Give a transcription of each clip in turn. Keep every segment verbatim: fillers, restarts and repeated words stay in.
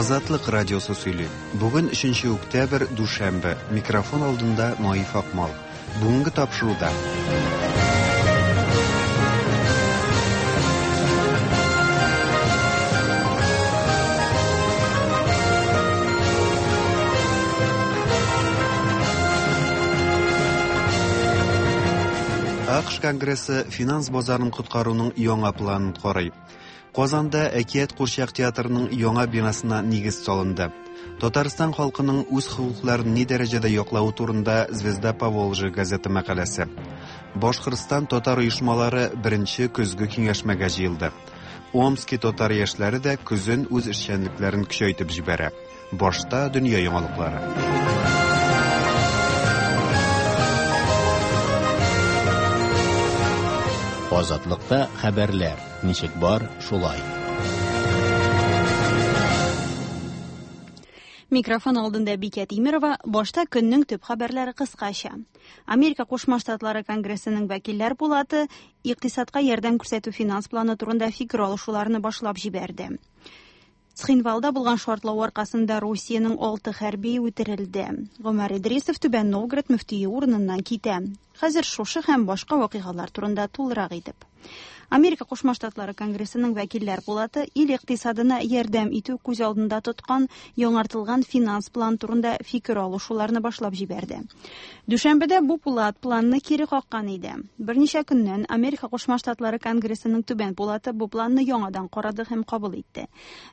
Азатлык радиосы сөйли. Бүген өченче октябрь, дүшәмбе. Микрофон алдында Наиф Акмал. Бүгенге тапшыруда. А К Ш Конгрессы финанс базарын коткаруның яңа планын карый. Казанда Әкият курчак театрының яңа бинасына нигез салынды. Татарстан халкының үз хокукларын ни дәрәҗәдә яклавы турында Звезда Поволжья газеты мәкаләсе. Башкортстан татар оешмалары беренче көзге киңәшмәгә җыелды. Омски татар яшьләре дә көзен үз эшчәнлекләрен көчәйтеп җибәрә. Башта дөнья яңалыклары. Азатлыкта хәбәрләр ничек бар, шулай. Микрофон алдында Бикә Тимирова, башта көннең төп хәбәрләре кыскача. Америка Кушма Штатлары Конгрессының вәкилләр пулаты икътисадка ярдәм күрсәтү финанс планы турында фикер алышуларны башлап җибәрде. Цхинвалда булган шартлау аркасында Русиянең алты хәрби үтерелде. Гомәр Идрисов Түбән Новгород мөфтие урыныннан китә. Хәзер шушы һәм башка вакыйгалар турында тулырак итеп. Америка Кушма Штатлары Конгрессының вәкилләр пулаты ил икътисадына ярдәм итү күз алдында тоткан яңартылган финанс план турында фикер алышуларны башлап җибәрде. Дүшәмбедә бу пулат планны кире каккан иде. Берничә көннән Америка Кушма Штатлары Конгрессының түбән пулаты бу планны яңадан карады һәм кабул итте.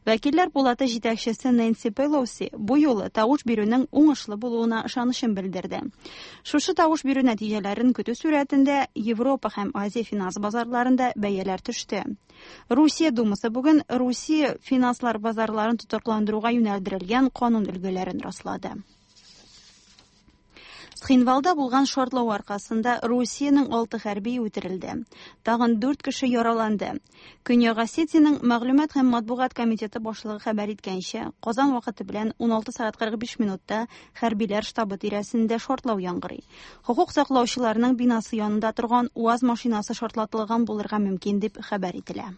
Вәкилләр пулаты җитәкчесе Нэнси Пелоси бу юлы тавыш бирүнең уңышлы булуына ышанычын белдерде. Шушы тавыш бирү нәтиҗәләрен көтү сурәтендә Европа һәм Азия финанс базарларында бәяләр төште. Русия Думасы бүген Русия финанслар базарларын тотрыкландыруга юнәлдерелгән канун өлгеләрен раслады. Цхинвалда булган шартлау аркасында Русиянең алты хәрби үтерелде. Тагын дүрт кеше яраланды. Көньяк Осетиянең мәгълүмат һәм матбугат комитеты башлыгы хәбәр иткәнчә, Казан вакыты белән ун алты сәгать кырык биш минутта хәрбиләр штабы тирәсендә шартлау яңгырый. Хокук саклаучыларның бинасы янында торган УАЗ машинасы шартлатылган булырга мөмкин дип хәбәр ителә.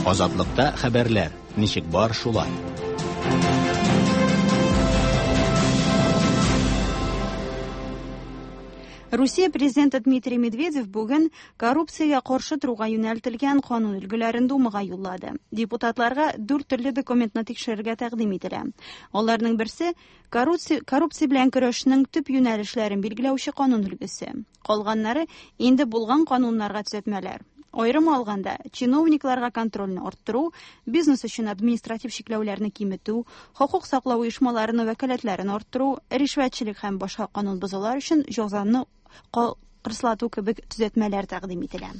Азатлыкта хәбәрләр ничек бар, шулай. Русия президенты Дмитрий Медведев бүген коррупциягә каршы торуга юнәлтелгән канун өлгеләрен Думага юллады. Депутатларга дүрт төрле документны тикшерергә тәкъдим ителә. Аларның берсе коррупция, коррупция белән көрәшнең төп юнәлешләрен билгеләүче канун өлгесе. Калганнары инде булган кануннарга төзәтмәләр. Аерым алганда, чиновникларга контрольне арттыру, бизнес өчен административ чикләүләрне киметү, хокук саклау оешмаларының вәкаләтләрен арттыру, ришвәтчелек һәм башка канун бозулар өчен җәзаны кырыслату кебек төзәтмәләр тәкъдим ителә.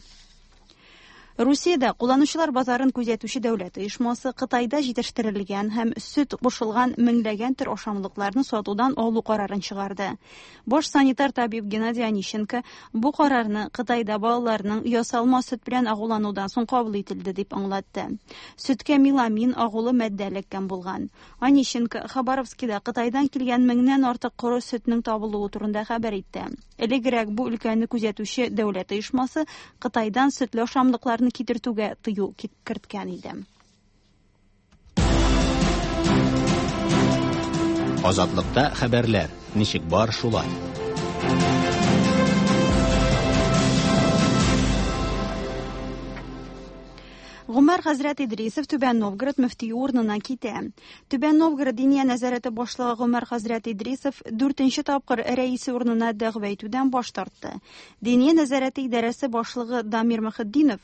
Русиядә кулланучылар базарын күзәтүче дәүләт оешмасы Кытайда җитештерелгән һәм сөт кушылган меңләгән төр ашамлыкларны сатудан алу карарын чыгарды. Баш санитар табиб Геннадий Онищенко бу карарны Кытайда балаларның ясалма сөт белән агуланудан соң кабул ителде дип аңлатты. Сөткә меламин агулы матдә эләккән булган. Онищенко Хабаровскида Кытайдан килгән меңнән артык коры сөтнең табылуы турында хәбәр итте. Элегрәк бу өлкәне күзәтүче дәүләт оешмасы Кытайдан сөтле ашамлыкларны китертүгә тыю керткән иде. Азатлыкта хәбәрләр ничек бар, шулай. Гомәр хәзрәт Идрисов Түбән Новгород мөфтие урынына китә. Түбән Новгород Диния нәзарәте башлыгы Гомәр хәзрәт Идрисов дүртенче тапкыр рәисе урынына дәгъва итүдән баш тартты. Диния нәзарәте идарәсе башлыгы Дамир Мөхетдинов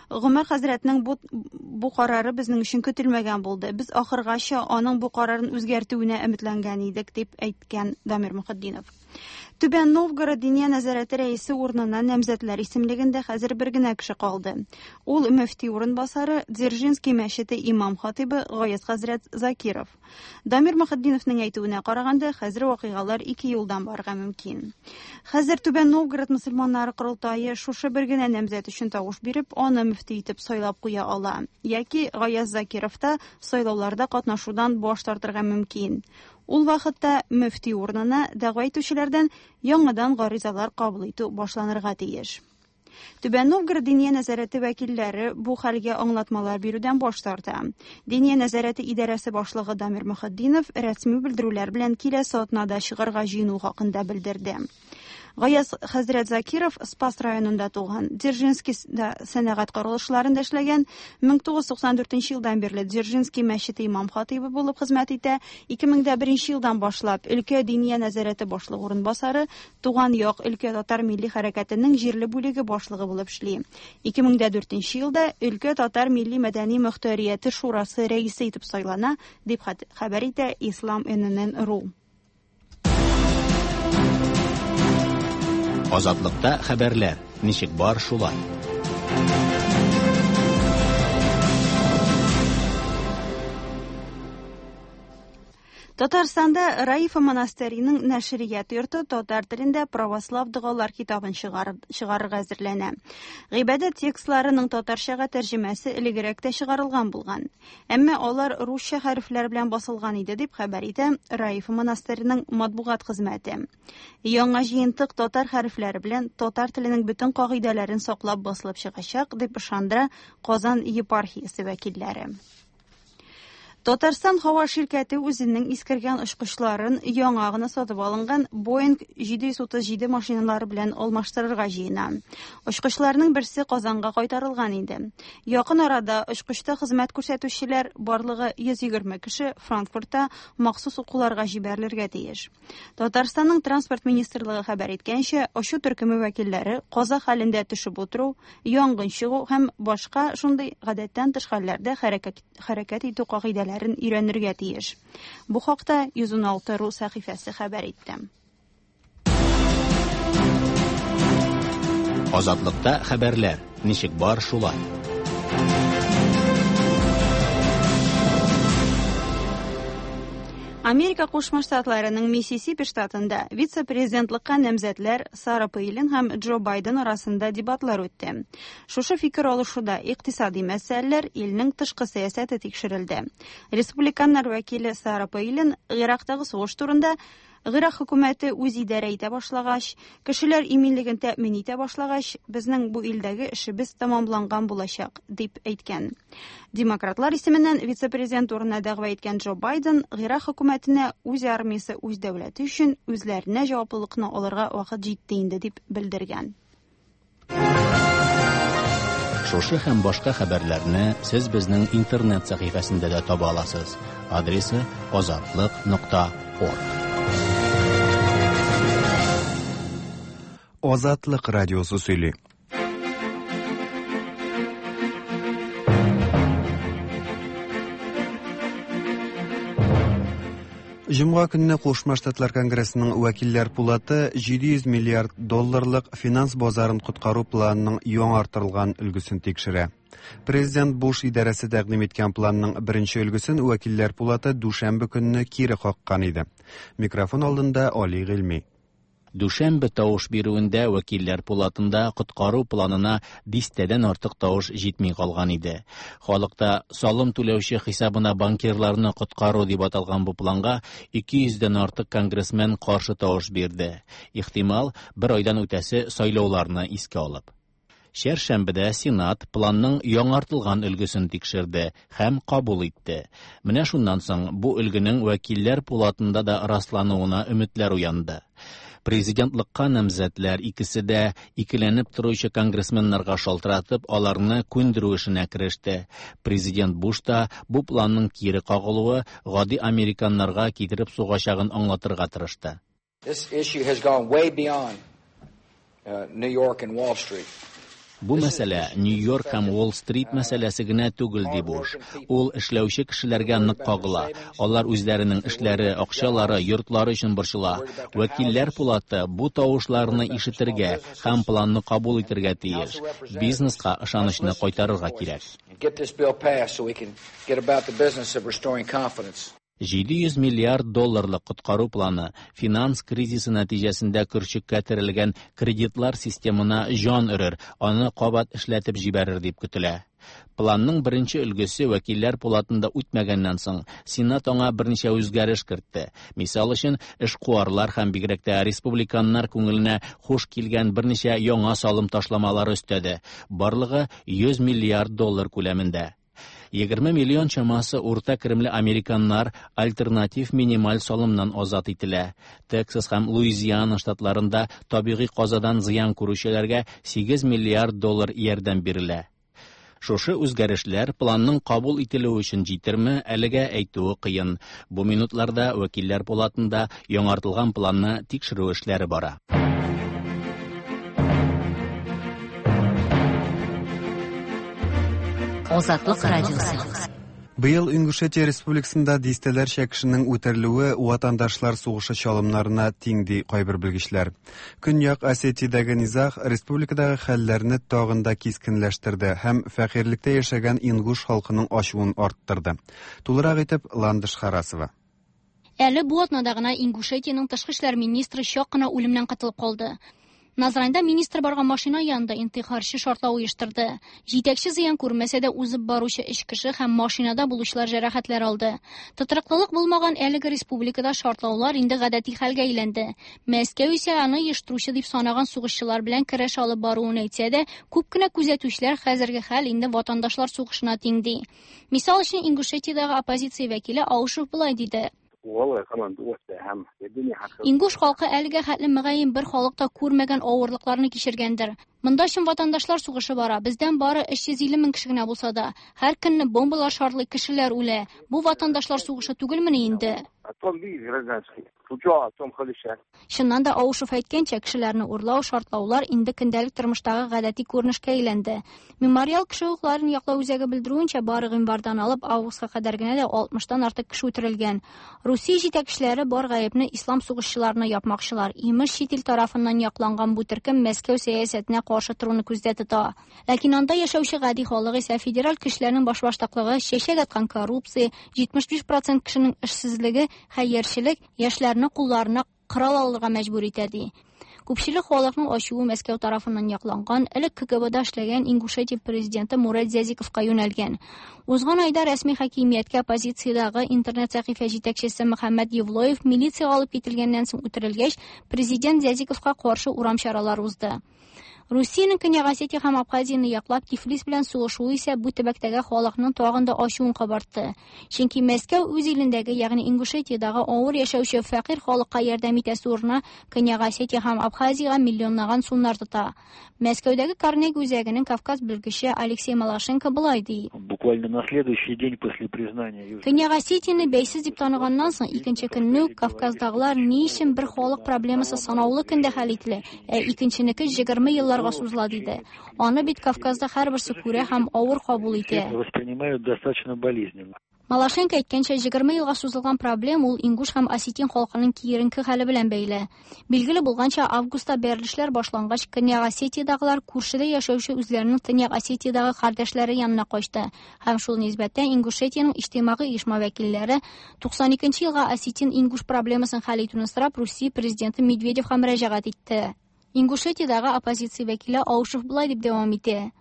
Гомәр хәзрәтнең бу, бу карары безнең өчен көтелмәгән булды. Без ахыргача аның бу карарын үзгәртүенә өметләнгән идек, дип әйткән Дамир Мөхетдинов. Түбән Новгород Диния нәзарәте рәисе урынына намзәтләр исемлегендә хәзер бер генә кеше калды. Ул мөфти урынбасары Дзержинский мәчете имам хатибы Гаяз хәзрәт Закиров. Дамир Мөхетдиновның әйтүенә караганда, хәзер вакыйгалар ике юлдан барырга мөмкин. Хәзер Түбән Новгород мөселманнары корылтае шушы бер генә намзәт өчен тавыш биреп, аны мөфти итеп сайлап куя ала. Яки Гаяз Закиров та сайлауларда катнашудан баш тартырга мөмкин. Ул вакытта мөфти урынына дәгъва итүчеләрдән яңадан гаризалар кабул итү башланырга тиеш. Түбән Новгород Диния нәзарәте вәкилләре бу хәлгә аңлатмалар бирүдән баш тарта. Диния нәзарәте идарәсе башлыгы Дамир Мөхетдинов рәсми белдерүләр белән киләсе атнада чыгарга җыену хакында белдерде. Гаяз хәзрәт Закиров Спас районында туган, Дзержинскийда сәнәгать корылышларында эшләгән, мең тугыз йөз туксан дүртенче елдан бирле Дзержинский мәчете имам хатыйбы булып хезмәт итә, ике мең дә беренче елдан башлап өлкә Диния нәзарәте башлыгы урынбасары, Туган як өлкә татар милли хәрәкәтенең җирле бүлеге башлыгы булып эшли. Ике мең дә дүртенче елда өлкә татар милли мәдәни мөхтәрияте шурасы рәисе итеп сайлана, дип хәбәр итә Ислам эн эн эн ру. Азатлыкта хәбәрләр, ничек бар шулай. Татарстанда Раифа монастыреның нәшрият йорты татар телендә православ догалар китабын чыгарырга әзерләнә. Гыйбадәт текстларының татарчага тәрҗемәсе элегрәк тә чыгарылган булган. Әмма алар русча хәрефләр белән басылган иде, дип хәбәр итә Раифа монастыреның матбугат хезмәте. Яңа җыентык татар хәрефләре белән татар теленең бөтен кагыйдәләрен саклап басылып чыгачак, дип ышандыра Казан епархиясе вәкилләре. Татарстан һава ширкәте үзенең искергән очкычларын яңа гына сатып алынган Boeing җиде йөз утыз җиде машиналары белән алмаштырырга җыена. Очкычларның берсе Казанга кайтарылган иде. Якын арада очкычта хезмәт күрсәтүчеләр барлыгы йөз егерме кеше Франкфуртта махсус укуларга җибәрелергә тиеш. Татарстанның транспорт министрлыгы хәбәр иткәнчә, очу төркеме вәкилләре каза хәлендә төшеп утыру, янгын чыгу һәм башка шундый гадәттән тыш хәлләрдә хәрәкәт, хәрәкәт итү кагыйдәләре өйрәнергә тиеш. Бу хакта йөз ун алты ру сәхифәсе хәбәр итте. Азатлыкта хәбәрләр, ничек бар шулай. Америка Кушма Штатларының Миссисипи штатында вице-президентлыкка намзәтләр Сара Пейлин һәм Джо Байден арасында дебатлар үтте. Шушы фикер алышуда икътисади мәсьәләләр, илнең тышкы сәясәте тикшерелде. Республиканнар вәкиле Сара Пейлин Ирактагы сугыш турында Ирак хөкүмәте үз идарә итә башлагач, кешеләр иминлеген тәэмин итә башлагач, безнең бу илдәге эшебез тәмамланган булачак, дип әйткән. Демократлар исеменнән вице-президент урынына дәгъва иткән Джо Байден Ирак хөкүмәтенә үз армиясе, үз дәүләте өчен үзләренә җаваплылыкны алырга вакыт җитте инде, дип белдергән. Шушы һәм башка хәбәрләрне сез безнең интернет сәхифәсендә дә таба аласыз. Адресы азатлык нокта орг. Азатлык радиосы сөйли. Җомга көнне Кушма Штатлар Конгрессының вәкилләр пулаты җиде йөз миллиард долларлык финанс базарын коткару планының яңартылган өлгесен тикшерә. Президент Буш идарәсе тәкъдим иткән планның беренче өлгесен вәкилләр пулаты дүшәмбе көнне кире каккан иде. Микрофон алдында Али Гыйльми. Дүшәмбе тавыш бирүендә вәкилләр пулатында коткару планына дистәдән артык тавыш җитми калган иде. Халыкта салым түләүче хисабына банкирларны коткару дип аталган бу планга ике йөздән артык конгрессмен каршы тавыш бирде. Ихтимал, бер айдан үтәсе сайлауларны искә алып. Чәршәмбедә Сенат планның яңартылган өлгесен тикшерде һәм кабул итте. Менә шуннан соң бу өлгенең вәкилләр пулатында да раслануына өметләр уянды. Президентлыкка намзәтләр икесе дә икеләнеп торучы конгрессменнарга шалтыратып, аларны күндерү эшенә кереште. Президент Буш та бу планның кире кагылуы гади американнарга китереп сугачагын аңлатырга тырышты. This issue has gone way beyond, uh, New York and Wall Street. Бу мәсьәлә Нью-Йорк һәм Уолл-стрит мәсьәләсе генә түгел, ди Буш. Ул эшләүче кешеләргә нык кагыла. Алар үзләренең эшләре, акчалары, йортлары өчен борчыла. Вәкилләр пулаты бу тавышларны ишетергә һәм планны кабул итәргә тиеш. Бизнеска ышанычны кайтарырга кирәк. Get this bill passed so we can get about the business of restoring confidence. Җиде йөз миллиард долларлык коткару планы финанс кризисы нәтиҗәсендә көрчеккә терелгән кредитлар системына җан өрер, аны кабат эшләтеп җибәрер дип көтелә. Планның беренче өлгесе вәкилләр пулатында үтмәгәннән соң, Сенат аңа берничә үзгәреш кертте. Мисал өчен, эшкуарлар һәм бигрәк тә республиканнар күңеленә хуш килгән берничә яңа салым ташламалары өстәде. Барлыгы йөз миллиард доллар күләмендә. Егерме миллион чамасы урта керемле американнар альтернатив минималь салымнан азат ителә. Тексас һәм Луизиана штатларында табигый казадан зыян күрүчеләргә сигез миллиард доллар ярдәм бирелә. Шушы үзгәрешләр планның кабул ителүе өчен җитерме, әлегә әйтүе кыен. Бу минутларда вәкилләр палатында яңартылган планны тикшерү эшләре бара. Азатлык радиосы. Быел Ингушетия Республикасында дистәләрчә кешенең үтерелүе ватандашлар сугышы чалымнарына тиң, ди кайбер белгечләр. Көньяк Осетиядәге низаг республикадагы хәлләрне тагын да кискенләштерде һәм фәкыйрьлектә яшәгән ингуш халкының ачуын арттырды. Тулырак итеп Ландыш Харасова. Әле бу атнада гына Ингушетиянең тышкы эшләр министры чак кына үлемнән котылып калды. Назранда министр барган машина янында интихарчы шартлау оештырды. Җитәкче зыян күрмәсә дә узып баручы өч кеше һәм машинада булучылар җәрәхәтләр алды. Тотрыклылык булмаган әлеге республикада шартлаулар инде гадәти хәлгә әйләнде. Мәскәү исә аны оештыручы дип санаган сугышчылар белән көрәш алып баруын әйтсә дә, күп кенә күзәтүчеләр хәзерге хәл инде ватандашлар сугышына тиң ди. Мисал өчен, Ингушетиядәге оппозиция вәкиле Аушев болай диде. Ингуш халкы әлегә хәтле мөгаен бер халык та күрмәгән авырлыкларны кичергәндер. Монда чын ватандашлар сугышы бара. Бездән бары өч йөз илле мең кеше генә булса да, һәр көнне бомбалар шартлый, кешеләр үлә. Бу ватандашлар сугышы түгелмени инде? Чыннан да Аушев әйткәнчә, кешеләрне урлау, шартлаулар инде көндәлек тормыштагы гадәти күренешкә әйләнде. Мемориал кеше хокукларын яклау үзәге белдерүенчә, бары гыйнвардан алып августка кадәр генә дә алтмыштан артык кеше үтерелгән. Русия җитәкчеләре бар гаепне ислам сугышчыларына япмакчылар. Имеш, чит ил тарафыннан якланган бу төркем Мәскәү сәясәтенә каршы торуны күздә тота. Ләкин анда яшәүче гади халык исә федераль көчләрнең башбаштаклыгы, чәчәк аткан коррупция, җитмеш биш процент кешенең эшсезлеге, хәерчелек яшьләрне кулларына корал алырга мәҗбүр итә ди. Күпчелек халыкның ачуы Мәскәү тарафыннан якланган, элек К Г Бда эшләгән Ингушетия президенты Мурат Зязиковка юнәлгән. Узган айда рәсми хакимияткә оппозициядәге интернет сәхифә җитәкчесе Мөхәммәд Евлоев милициягә алып кителгәннән соң үтерелгәч, президент Зязиковка каршы урам чаралары узды. Русиянең Көньяк Осетия һәм Абхазияне яклап Тифлис белән сугышуы исә бу төбәктәге халыкның тагын да ачуын кабартты. Чөнки Мәскәү үз илендәге, ягъни Ингушетиядәге авыр яшәүче фәкыйрь халыкка ярдәм итәсе урынына Көньяк Осетия һәм Абхазиягә миллионлаган сумнар тота. Мәскәүдәге Карнеги үзәгенең Кавказ белгече Алексей Малашенко болай ди. Буквально на следующий день после признания Көньяк Осетияне бәйсез дип таныганнан соң икенче көнне үк Кавказдагылар ни өчен бер халык проблемасы санаулы көндә хәл ителә, ә икенченеке егерме еллар сузыла диде. Аны бит Кавказда һәрберсе күрә һәм авыр кабул итә. Воспринимают достаточно болезненно. Малашенко әйткәнчә, егерме елга сузылган проблем ул ингуш һәм осетин халкының киеренке хәле белән бәйле. Билгеле булганча, августта бәрелешләр башлангач, Көньяк Осетиядагылар күршедә яшәүче үзләренең Төньяк Осетиядагы кардәшләре янына качты. Һәм шул нисбәттән Ингушетиянең иҗтимагый оешма вәкилләре туксан икенче елга осетин-ингуш проблемасын хәл итүне сорап Русия президенты Медведевка мөрәҗәгать итте. Ингушетиядагы оппозиция вәкиле Аушев болай дип дәвам итә.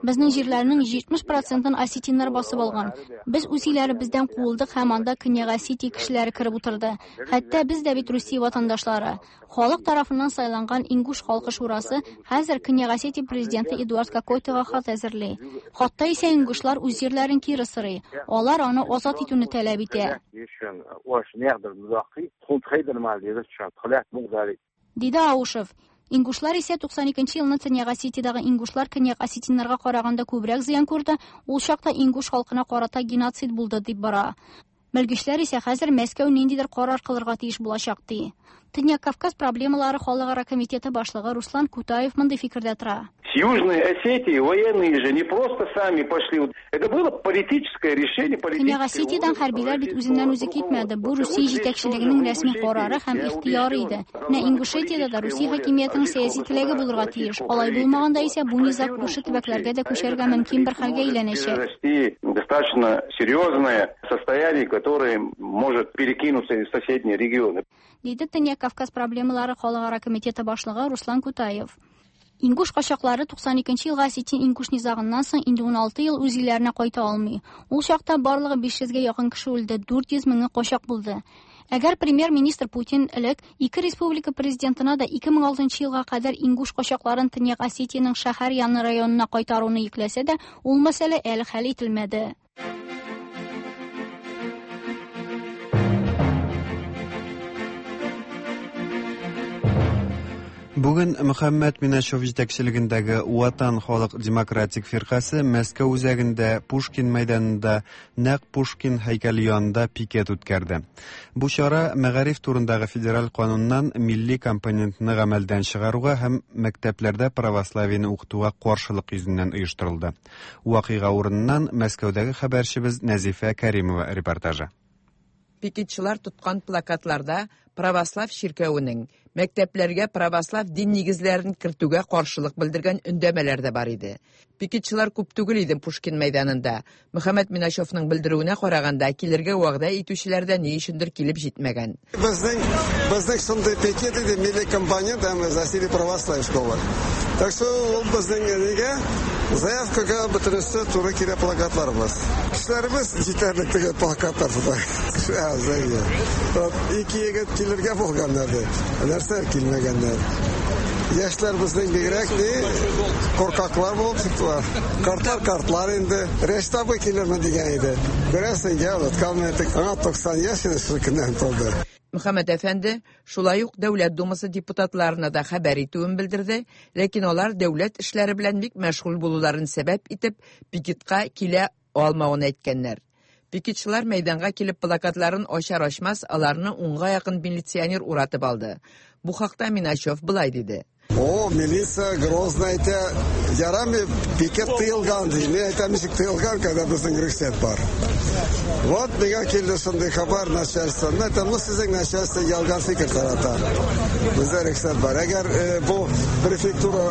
Безнең җирләрнең җитмеш процентын осетиннар басып алган. Без үз илләребездән куылдык һәм анда Көньяк Осетия кешеләре кереп утырды. Хәтта без дә бит Русия ватандашлары. Халык тарафыннан сайланган Ингуш халкы шурасы хәзер Көньяк Осетия президенты Эдуард Кокойтога хат әзерли. Хатта исә ингушлар үз җирләрен кире сорый. Алар аны азат итүне таләп итә. Диде Аушев. Ингушлар исә туксан икенче елны Төньяк Осетиядәге ингушлар Көньяк осетиннарга караганда күбрәк зыян күрде, ул чакта ингуш халкына карата геноцид булды дип бара. Белгечләр исә хәзер Мәскәү ниндидер карар кылырга тиеш булачак ди. Төньяк Кавказ проблемалары халыкара комитеты башлыгы Руслан Кутаев мондый фикердә тора. С Южной Осетии военные же не просто сами пошли. Это было политическое решение, политическое. Көньяк Осетиядән хәрбиләр бит үзеннән үзе китмәде. Бу Русия җитәкчелегенең рәсми карары һәм ихтыяры иде. Менә Ингушетиядә дә Русия хакимиятенең сәяси теләге булырга тиеш. Алай булмаганда исә бу низаг күрше төбәкләргә дә күчәргә мөмкин бер хәлгә әйләнәчәк. Достаточно серьезное состояние, которое может перекинуться в соседние регионы. Диде Төньяк Кавказ проблемалары халыкара комитеты башлыгы Руслан Кутаев. Ингуш качаклары туксан икенче елгы осетин-ингуш низагыннан соң инде ун алты ел үз илләренә кайта алмый. Ул чакта барлыгы биш йөзгә якын кеше үлде, дүрт йөз меңе качак булды. Әгәр премьер-министр Путин элек ике республика президентына да ике мең алтынчы елга кадәр ингуш качакларын Төньяк Осетиянең шәһәр яны районына кайтаруны йөкләсә дә, ул мәсьәлә әле хәл ителмәде. Бүген Мөхәммәт Миначев җитәкчелегендәге Ватан халык демократик фиркасе Мәскәү үзәгендә Пушкин мәйданында нәкъ Пушкин һәйкәле янында пикет үткәрде. Бу чара мәгариф турындагы федераль кануннан милли компонентны гамәлдән чыгаруга һәм мәктәпләрдә православиене укытуга каршылык йөзеннән оештырылды. Вакыйга урыныннан Мәскәүдәге хәбәрчебез Нәзифә Кәримова репортажы. Пикетчылар тоткан плакатларда православ чиркәвенең мәктәпләргә православ дин нигезләрен кертүгә каршылык белдергән өндәмәләр дә бар иде. Пикетчылар күп түгел иде Пушкин мәйданында. Мөхәммәт Миначевның белдерүенә караганда килергә вәгъдә итүчеләр дә ни өчендер килеп җитмәгән. Безнең безнең шундый пикет иде, милли компонент һәм засили православ школы. Так что ул безнең нигә заявкага бөтенесе туры килә плакатларыбыз. Кешеләребез җитәрлек теге плакатлар тота. Кеше аз әйе. Ике егет килергә булганнар ди. Нәрсә килмәгәннәр. Яшьләр безнең бигрәк ни куркаклар булып чыктылар. Картлар картлар инде. Рәшит абый килерме дигән иде. Күрәсең, оныткан идек. Аңа туксан яшь иде шул көннән тулды. Мөхәммәт әфәнде шулай ук Дәүләт Думасы депутатларына да хәбәр итүен белдерде, ләкин алар дәүләт эшләре белән бик мәшгуль булуларын сәбәп итеп пикетка килә алмавын әйткәннәр. Пикетчылар мәйданга килеп плакатларын ачар-ачмас аларны унга якын милиционер уратып алды. Бу хакта Миначев былай диде. О, милиция грозно әйтә, ярамый пикет тыелган ди. Мин әйтәм, ничек тыелган, когда безнең рөхсәт бар. Вот миңа килде шундый хәбәр начальство. Мин әйтәм, ну сезнең начальство ялган фикер тарата. Бездә рөхсәт бар. Әгәр бу префектура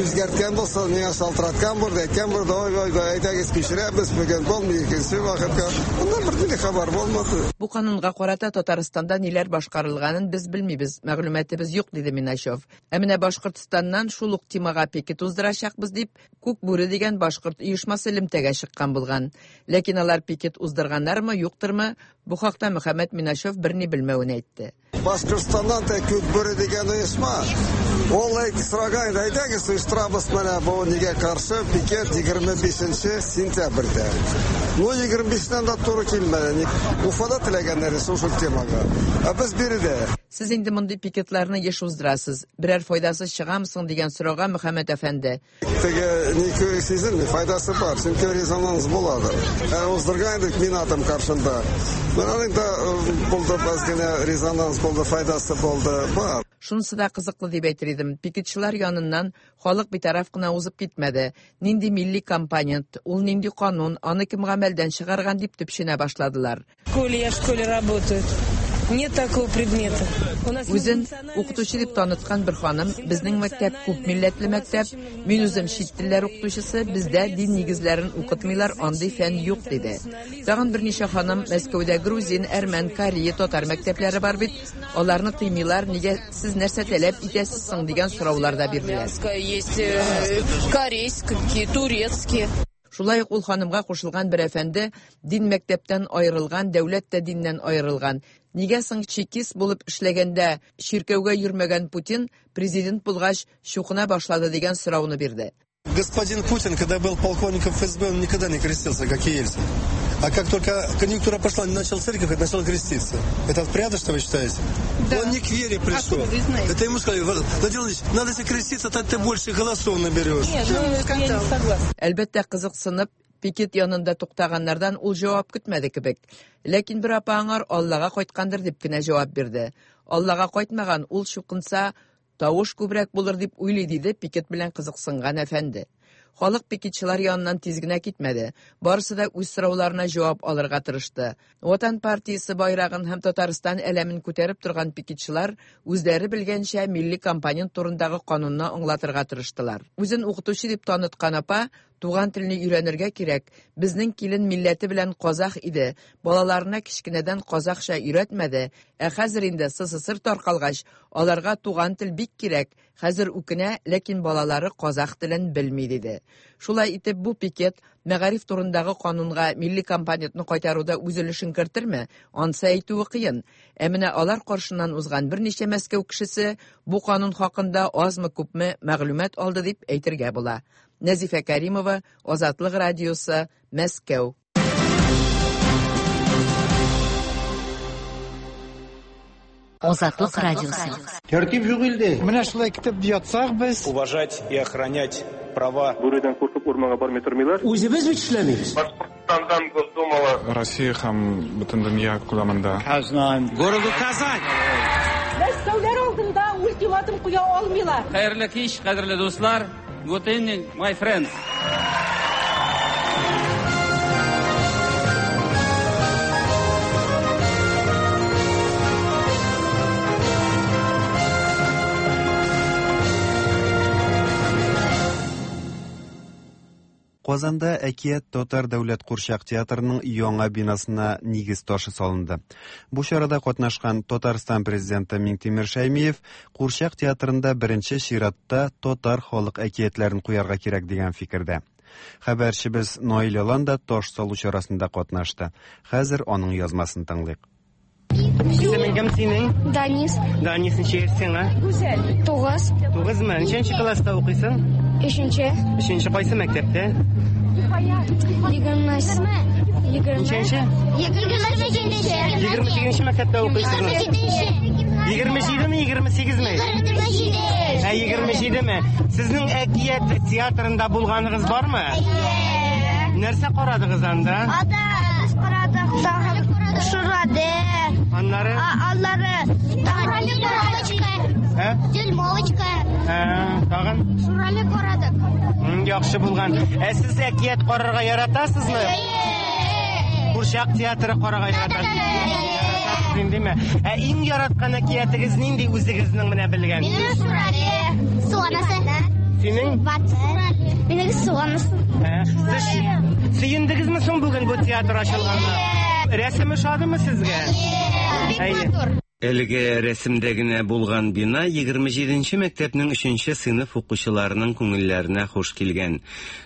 үзгәрткән булса, миңа шалтыраткан булды, әйткән булды, ой, ой, әйдәгез күчерәбез, бүген булмый, икенче вакытка. Аннан бер нинди хәбәр булмады. Бу канунга карата Татарстанда ниләр башкарылганын без белмибез, мәгълүматыбыз юк, диде Миначев. Ә менә Башкортстаннан шул ук темага пикет уздырачакбыз дип, Күк бүре дигән башкорт оешмасы элемтәгә чыккан булган. Ләкин алар пикет уздырганнармы, юктырмы, бу хакта Мөхәммәт Миначев берни белмәвен әйтте. Башкортстаннан да Күк бүре дигән оешма. Ул әйтте, сораган, әйдәгез оештырабыз менә бу нигә каршы пикет егерме бишенче сентябрьдә. Ну, егерме бишеннән дә туры килмәде. Уфада теләгәннәр шул темага. Ә без биредә. Сез инде мондый пикетларны еш уздырасыз. Берәр файдасы чыгамы соң дигән сорауга Мөхәммәт әфәнде. Теге ни сизелми, файдасы бар, чөнки резонанс булады. Ә уздырган идек мин атым каршында. Менә аның да булды, аз генә резонанс булды, файдасы булды, бар. Шунысы да кызыклы дип әйтер идем. Пикетчылар яныннан халык битараф кына узып китмәде. Нинди милли компонент, ул нинди канун, аны кем гамәлдән чыгарган дип төпченә башладылар. В школе, я в школе работаю. Нет такого предмета. Үзен укытучы дип таныткан бер ханым, безнең мәктәп күп милләтле мәктәп, мин үзем чит телләр укытучысы, бездә дин нигезләрен укытмыйлар, андый фән юк диде. Тагын берничә ханым Мәскәүдә грузин, әрмән, корея, татар мәктәпләре бар бит, аларны тыймыйлар, нигә сез нәрсә таләп итәсез соң дигән сораулар да бирделәр. Есть корейские, турецкие. Шулай ук ул ханымга кушылган бер әфәнде дин мәктәптән аерылган, дәүләт тә диннән аерылган. Нигә соң чекист булып эшләгәндә чиркәүгә йөрмәгән Путин президент булгач чукына башлады дигән сорауны бирде. Господин Путин, когда был полковником эф эс бэ, он никогда не крестился, как и Ельцин. А как только конъюнктура пошла, он начал церковь и начал креститься. Это порядок, что вы считаете? Да. Он не к вере пришел. Откуда вы знаете? Это ему сказали, Владимир Владимирович, надо себе креститься, тогда ты больше голосов наберешь. Нет, ну, я не согласна. Әлбәттә, кызыксынып, пикет янында туктаганнардан ул җавап көтмәде кебек. Ләкин бер апа аңар Аллага кайткандыр дип кенә җавап бирде. Аллага кайтмаган, ул чукынса, тавыш күбрәк булыр дип уйлый, диде пикет белән кызыксынган әфәнде. Халык пикетчылар яныннан тиз генә китмәде. Барысы да үз сорауларына җавап алырга тырышты. Ватан партиясе байрагын һәм Татарстан әләмен күтәреп торган пикетчылар үзләре белгәнчә милли компонент турындагы канунны аңлатырга тырыштылар. Үзен укытучы дип таныткан апа Туган телне өйрәнергә кирәк. Безнең килен милләте белән казах иде. Балаларына кечкенәдән казахча өйрәтмәде. Ә хәзер инде СССР таркалгач, аларга туган тел бик кирәк. Хәзер үкенә, ләкин балалары казах телен белми, диде. Шулай итеп, бу пикет мәгариф турындагы канунга милли компонентны кайтаруда үз өлешен кертерме? Ансы әйтүе кыен. Ә менә алар каршыннан узган берничә Мәскәү кешесе бу канун хакында азмы-күпме мәгълүмат алды дип әйтергә була. Нәзифә Каримова, Азатлык радиосы, Мәскәү. Азатлык радиосы. Тәртип юк илдә. Менә шулай китеп ятсак без. Уважать и охранять права. Бүредән куркып урманга бармый тормыйлар. Үзебез бит эшләмибез. Башкортстандан Госдумала. Россия һәм бөтен дөнья күләмендә. Казан. Городу Казань. Мәскәүләр алдында ультиматум куя алмыйлар. Хәерле кич, кадерле дуслар. Good evening, my friends. Казанда Әкият татар дәүләт курчак театрының яңа бинасына нигез ташы салынды. Бу чарада катнашкан Татарстан президенты Миңтимер Шәймиев курчак театрында беренче чиратта татар халык әкиятләрен куярга кирәк дигән фикердә. Хәбәрчебез Наил Алан да таш салу чарасында катнашты. Хәзер аның язмасын тыңлыйк. Исемең кем синең? Данис. Данис, ничә яшьсең, а? Гүзәл. Тугыз. Тугызмы? Ничәнче класста укыйсың? Өченче. Өченче кайсы мәктәптә? Егерме. Егерме. Ничәнче? Егерме сигезенче. Егерме сигезенче мәктәптә укыйсыңмы? Егерме җидеме, егерме сигезме? Егерме җиде. Ә, егерме җидеме? Сезнең Әкият театрында булганыгыз бармы? Әйе. Нәрсә карадыгыз анда? Анда без карадык, тагын Шурале. Аннары? Аннары тагын Дюймовочка. Ә? Дюймовочка. Ә, тагын? Шурале карадык. Яхшы булган. Ә сез әкият карарга яратасызмы? Әйе. Курчак театры карарга яратасызмы? Индеме? Ә иң яраткан әкиятегез нинди үзегезнең менә белгән? Минем Шурале. Су анасы. Синең? Минем су анасы. Ә, сез сөендегезме соң бүген бу театр ачылганга? Рәсеме ошадымы сезгә? Бик матур. Әлеге рәсемдә генә булган бина егерме җиденче мәктәпнең өченче сыйныф укучыларының күңелләренә хуш килгән.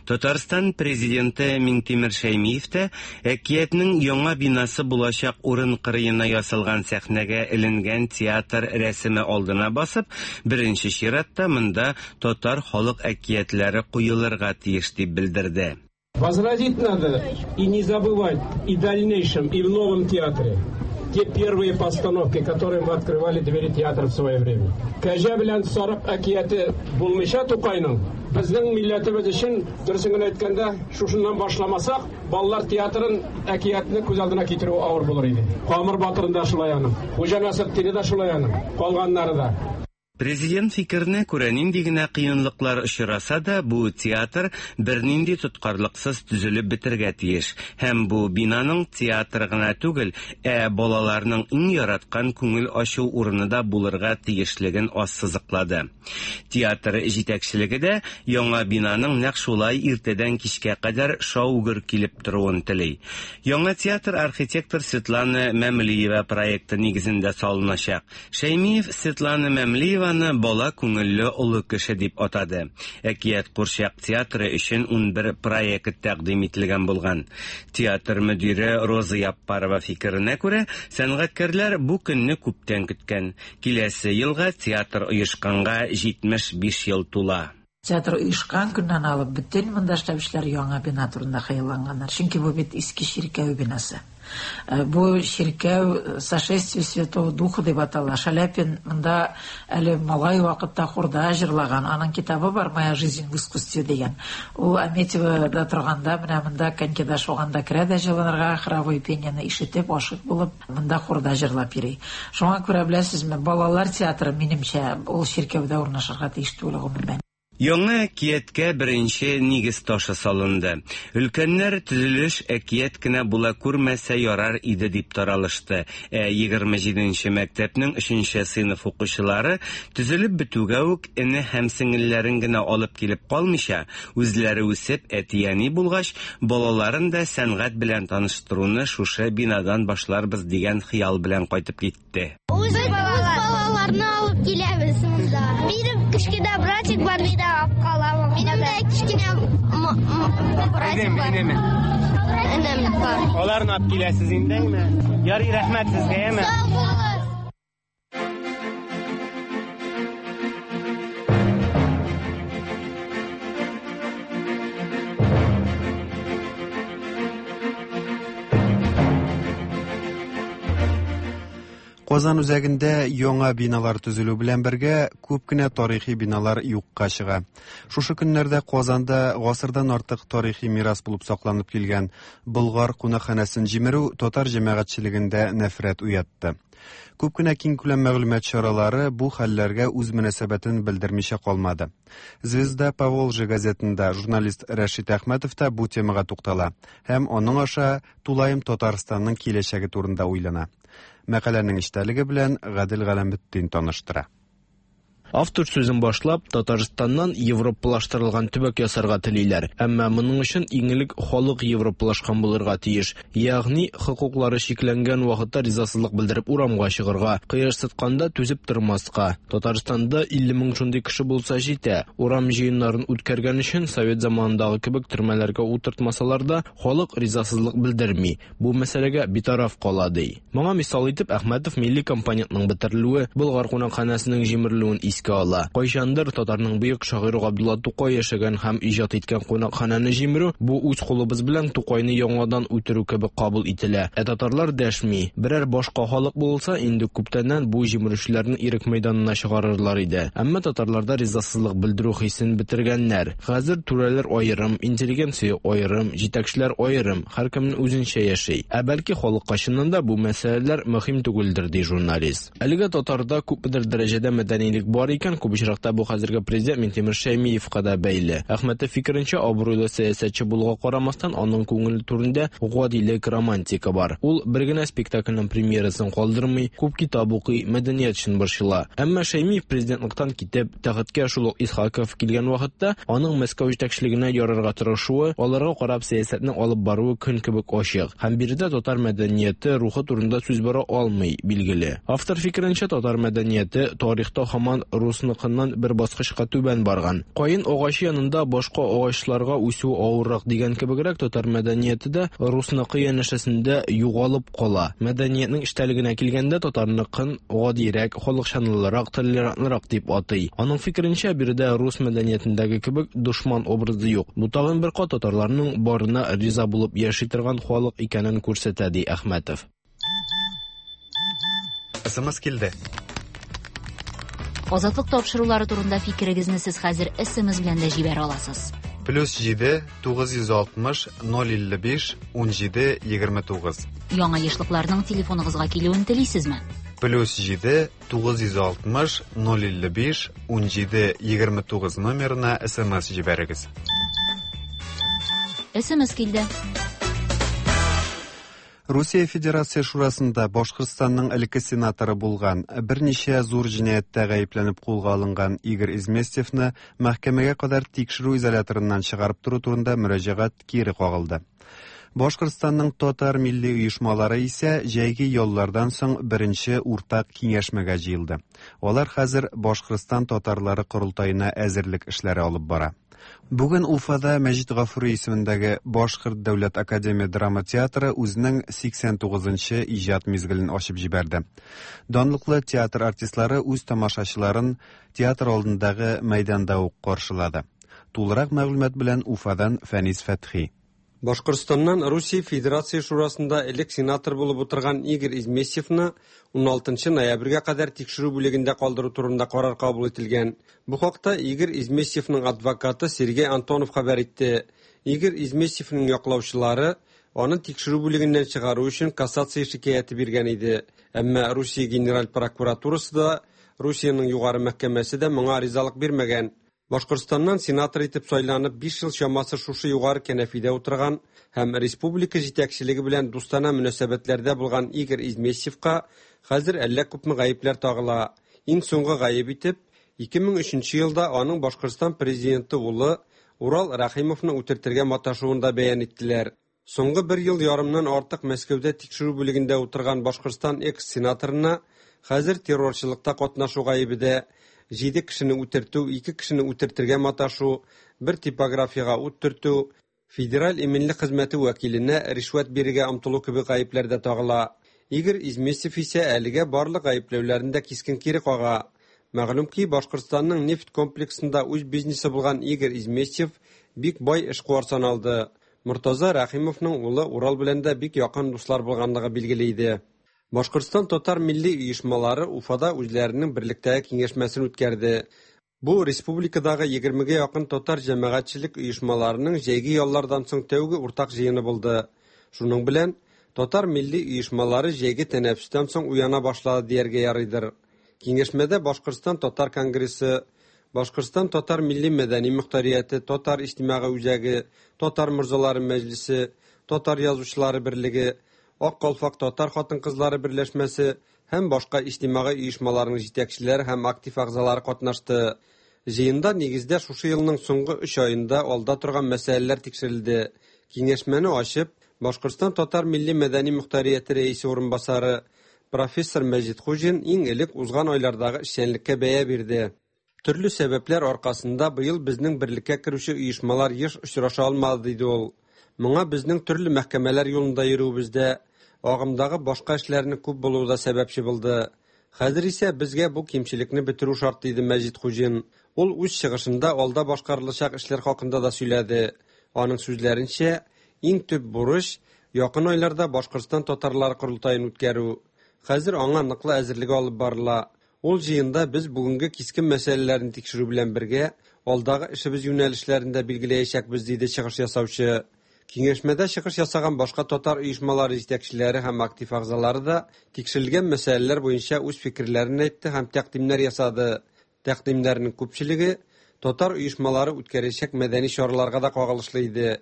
Татарстан президенты Миңтимер Шәймиев тә Әкиятнең яңа бинасы булачак урын кырыена ясалган сәхнәгә эленгән театр рәсеме алдына басып, беренче чиратта монда татар халык әкиятләре куелырга тиеш дип белдерде. Возродить надо и не забывать и в дальнейшем, и в новом театре те первые постановки, которые мы открывали двери театра в свое время. Кәҗә белән сарык әкияте булмыйча Тукайның, безнең милләтебез өчен, дөресен генә әйткәндә, шушыннан башламасак, балалар театрын әкиятне күз алдына китерү авыр булыр иде. Камыр батырын да шулай аның, Хуҗа Насретдинне дә шулай аның, калганнары да. Президент фикеренә күрә, нинди генә кыенлыклар очраса да, бу театр бернинди тоткарлыксыз төзелеп бетергә тиеш. Һәм бу бинаның театр гына түгел, ә балаларның иң яраткан күңел ачу урыны да булырга тиешлеген ассызыклады. Театр җитәкчелеге дә яңа бинаның нәкъ шулай иртәдән кичкә кадәр шау-гөр килеп торуын тели. Яңа театр архитектор Светлана Мәмлиева проекты нигезендә салыначак. Шәймиев Светлана Мәмлиева бала күңелле олы кеше дип атады. Әкият курчак театры өчен унбер проект тәкъдим ителгән булган. Театр мөдире Роза Яппарова фикеренә күрә, сәнгатькәрләр бу көнне күптән көткән. Киләсе елга театр оешканга җитмеш биш ел тула. Театр оешкан көннән алып бөтен монда эшләүчеләр яңа бина турында хыялланганнар. Чөнки бу бит иске чиркәү бинасы. Бу чиркәү Сошествие Святого Духа дип атала. Шаляпин монда әле малай вакытта хорда җырлаган. Аның китабы бар «Моя жизнь в искусстве» дигән. Ул Аметьевода торганда, менә монда конькида шуганда керә дә җылынырга, хоровой пениене ишетеп, ашык булып, монда хорда җырлап йөри. Шуңа күрә беләсезме, балалар театры минемчә ул чиркәүдә урнашырга тиеш түгел гомумән. Яңа әкияткә беренче нигез ташы салынды. Өлкәннәр төзелеш әкият кенә була күрмәсә ярар иде дип таралышты. Ә егерме җиденче мәктәпнең өченче сыйныф укучылары төзелеп бетүгә үк эне һәм сеңелләрен генә алып килеп калмыйча, үзләре үсеп әти-әни булгач, балаларын да сәнгать белән таныштыруны шушы бинадан башларбыз дигән хыял белән кайтып китте. Үз балаларны алып киләбез монда. Минем кечкенә братик бар, мин дә алып калам. Минем дә кечкенә братик бар. Энем бар. Аларны алып киләсез инде, әйме? Ярый, рәхмәт сезгә, әйме? Сау булыгыз. Казан үзәгендә яңа биналар төзелү белән бергә күп кенә тарихи биналар юкка чыга. Шушы көннәрдә Казанда гасырдан артык тарихи мирас булып сакланып килгән Болгар кунакханәсен җимерү татар җәмәгатьчелегендә нәфрәт уятты. Күп кенә киңкүләм мәгълүмат чаралары бу хәлләргә үз мөнәсәбәтен белдермичә калмады. Звезда Поволжья газетында журналист Рәшит Әхмәтов та бу темага туктала һәм аның аша тулаем Татарстанның киләчәге турында уйлана. Мәкаләнең эчтәлеге белән Гадел Галәметдин таныштыра. Автор сүзен башлап, Татарстаннан европалаштырылган төбәк ясарга телиләр. Әмма моның өчен иң элек халык европалашкан булырга тиеш. Ягъни хокуклары чикләнгән вакытта ризасызлык белдереп урамга чыгарга, кыерсытканда түзеп тормаска. Татарстанда илле мең шундый кеше булса җитә. Урам җыеннарын үткәргән өчен совет заманындагы кебек төрмәләргә утыртмасалар да, халык ризасызлык белдерми. Бу мәсьәләгә битараф кала ди. Моңа мисал итеп Әхмәтов милли компонентның бетерелүе, Болгар кунакханәсенең җимерелүен искә ала. Кайчандыр татарның бөек шагыйре Габдулла Тукай яшәгән һәм иҗат иткән кунакханәне җимерү бу үз кулыбыз белән Тукайны яңадан үтерү кебек кабул ителә. Ә татарлар дәшми. Берәр башка халык булса, инде күптәннән бу җимерүчеләрне ирек мәйданына чыгарырлар иде. Әмма татарларда ризасызлык белдерү хисен бетергәннәр. Хәзер түрәләр аерым, интеллигенция аерым, җитәкчеләр аерым, һәркемнең үзенчә яши. Ә бәлки халыкка чыннан да бу мәсьәләләр мөһим түгелдер, ди журналист. Әлегә татарда күпмедер дәрәҗәдә мәдәнилек бар икән, күп очракта бу хәзерге президент Минтимер Шәймиевка да бәйле. Әхмәтов фикеренчә, абруйлы сәясәтче булуга карамастан, аның күңеле түрендә гадилек, романтика бар. Ул бер генә спектакльнең премьерасын калдырмый, күп китап укый, мәдәният өчен борчыла. Әмма Шәймиев президентлыктан китеп, тәхеткә шул ук Исхаков килгән вакытта аның Мәскәү җитәкчелегенә ярарга тырышуы, аларга карап сәясәтне алып баруы көн кебек ачык. Һәм биредә татар мәдәнияте рухы турында сүз бара алмый, билгеле. Автор фикеренчә, татар мәдәнияте тарихта һаман русныкыннан бер баскычка түбән барган. Каен агачы янында башка агачларга үсү авыррак дигән кебегрәк татар мәдәнияте дә русныкы янәшәсендә югалып кала. Мәдәниятнең эчтәлегенә килгәндә татарныкын гадирәк, халыкчанлырак, толерантлырак дип атый. Аның фикеренчә, биредә рус мәдәниятендәге кебек дошман образы юк. Бу тагын бер кат татарларның барына риза булып яши торган халык икәнен күрсәтә, ди Әхмәтов. СМС килде. Азатлык тапшырулары турында фикерегезне сез хәзер СМС белән дә җибәрә аласыз. Плюс җиде тугыз йөз алтмыш ноль илле биш ун җиде егерме тугыз. Яңа ешлыкларның телефоныгызга килүен телисезме? Плюс җиде тугыз йөз алтмыш ноль илле биш ун җиде егерме тугыз номерына СМС җибәрегез. СМС килде. Русия Федерация Шурасында Башкортстанның элекке сенаторы булган, берничә зур җинаятьтә гаепләнеп кулга алынган Игорь Изместьевны мәхкәмәгә кадәр тикшерү изоляторыннан чыгарып тору турында мөрәҗәгать кире кагылды. Башкортстанның татар милли оешмалары исә җәйге яллардан соң беренче уртак киңәшмәгә җыелды. Алар хәзер Башкортстан татарлары корылтаена әзерлек эшләре алып бара. Бүген Уфада Мәҗит Гафури исемендәге Башкорт дәүләт академия драма театры үзенең сиксән тугызынчы иҗат мизгелен ачып җибәрде. Данлыклы театр артистлары үз тамашачыларын театр алдындагы мәйданда ук каршылады. Тулырак мәгълүмат белән Уфадан Фәнис Фәтхи. Башкортстаннан Русия Федерация Шурасында элек сенатор булып утырган Игорь Изместьевны ун алтынчы ноябрьгә кадәр тикшерү бүлегендә калдыру турында карар кабул ителгән. Бу хакта Игорь Изместьевның адвокаты Сергей Антонов хәбәр итте. Игорь Изместьевның яклаучылары аны тикшерү бүлегеннән чыгару өчен кассация шикаяте биргән иде. Әмма Русия Генераль прокуратурасы да, Русиянең югары мәхкәмәсе дә моңа ризалык бирмәгән. Башкортстаннан сенатор итеп сайланып биш ел чамасы шушы югары кәнәфидә утырган һәм республика җитәкчелеге белән дустанә мөнәсәбәтләрдә булган Игорь Изместьевка хәзер әллә күпме гаепләр тагыла. Иң соңгы гаеп итеп ике мең өченче елда аның Башкортстан президенты улы Урал Рәхимовны үтертергә маташуын да бәян иттеләр. Соңгы бер ел ярымнан артык Мәскәүдә тикшерү бүлегендә утырган Башкортстан экс-сенаторына хәзер террорчылыкта катнашу гаебе дә, җиде кешене үтертү, ике кешене үтертергә маташу, бер типографияга ут төртү, федераль иминлек хезмәте вәкиленә ришвәт бирергә омтылу кебек гаепләр дә тагыла. Игорь Изместьев исә әлегә барлык гаепләүләрен дә кискен кире кага. Мәгълүм ки, Башкортстанның нефть комплексында үз бизнесы булган Игорь Изместьев бик бай эшкуар саналды. Мортаза Рәхимовның улы Урал белән дә бик якын дуслар булганлыгы билгеле иде. Башкортстан татар милли оешмалары Уфада үзләренең берлектәге киңәшмәсен үткәрде. Бу республикадагы егермегә якын татар җәмәгатьчелек оешмаларының җәйге яллардан соң тәүге уртак җыены булды. Шуның белән татар милли оешмалары җәйге тәнәфестән соң уяна башлады дияргә ярыйдыр. Киңәшмәдә Башкортстан татар конгрессы, Башкортстан татар милли мәдәни мөхтәрияте, татар иҗтимагый үзәге, татар морзалары мәҗлесе, татар язучылары берлеге, Ак калфак татар хатын-кызлары берләшмәсе һәм башка иҗтимагый оешмаларның җитәкчеләре һәм актив әгъзалары катнашты. Җыенда нигездә шушы елның соңгы өч аенда алда торган мәсьәләләр тикшерелде. Киңәшмәне ачып, Башкортстан татар милли мәдәни мөхтәрияте рәисе урынбасары профессор Мәҗит Хуҗин иң элек узган айлардагы эшчәнлеккә бәя бирде. Төрле сәбәпләр аркасында быел безнең берлеккә керүче оешмалар еш очраша алмады, диде ул. Моңа безнең төрле мәхкәмәләр юлында йөрүебездә, агымдагы башка эшләрнең күп булуы да сәбәпче булды. Хәзер исә безгә бу кимчелекне бетерү шарт, диде Мәҗит Хуҗин. Ул үз чыгышында алда башкарылачак эшләр хакында да сөйләде. Аның сүзләренчә, иң төп бурыч якын айларда Башкортстан татарлары корылтаен үткәрү. Хәзер аңа ныклы әзерлек алып барыла. Ул җыенда без бүгенге кискен мәсьәләләрне тикшерү белән бергә алдагы эшебез юнәлешләрен дә билгеләячәкбез, диде чыгыш ясаучы. Киңәшмәдә чыгыш ясаган башка татар оешмалары җитәкчеләре һәм актив әгъзалары да тикшерелгән мәсьәләләр буенча үз фикерләрен әйтте һәм тәкъдимнәр ясады. Тәкъдимнәрнең күпчелеге татар оешмалары үткәрәчәк мәдәни чараларга да кагылышлы иде.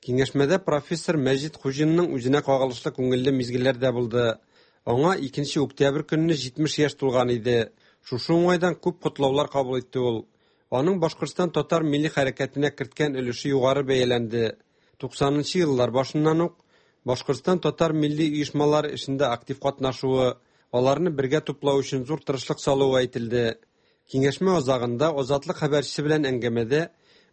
Киңәшмәдә профессор Мәҗит Хуҗинның үзенә кагылышлы күңелле мизгелләр дә булды. Аңа икенче октябрь көнне җитмеш яшь тулган иде. Шушы уңайдан күп котлаулар кабул итте ул. Аның Башкортстан татар милли хәрәкәтенә керткән өлеше югары бәяләнде. Туксанынчы еллар башыннан ук Башкортстан татар милли оешмалары эшендә актив катнашуы, аларны бергә туплау өчен зур тырышлык салуы әйтелде. Киңәшмә азагында Азатлык хәбәрчесе белән әңгәмәдә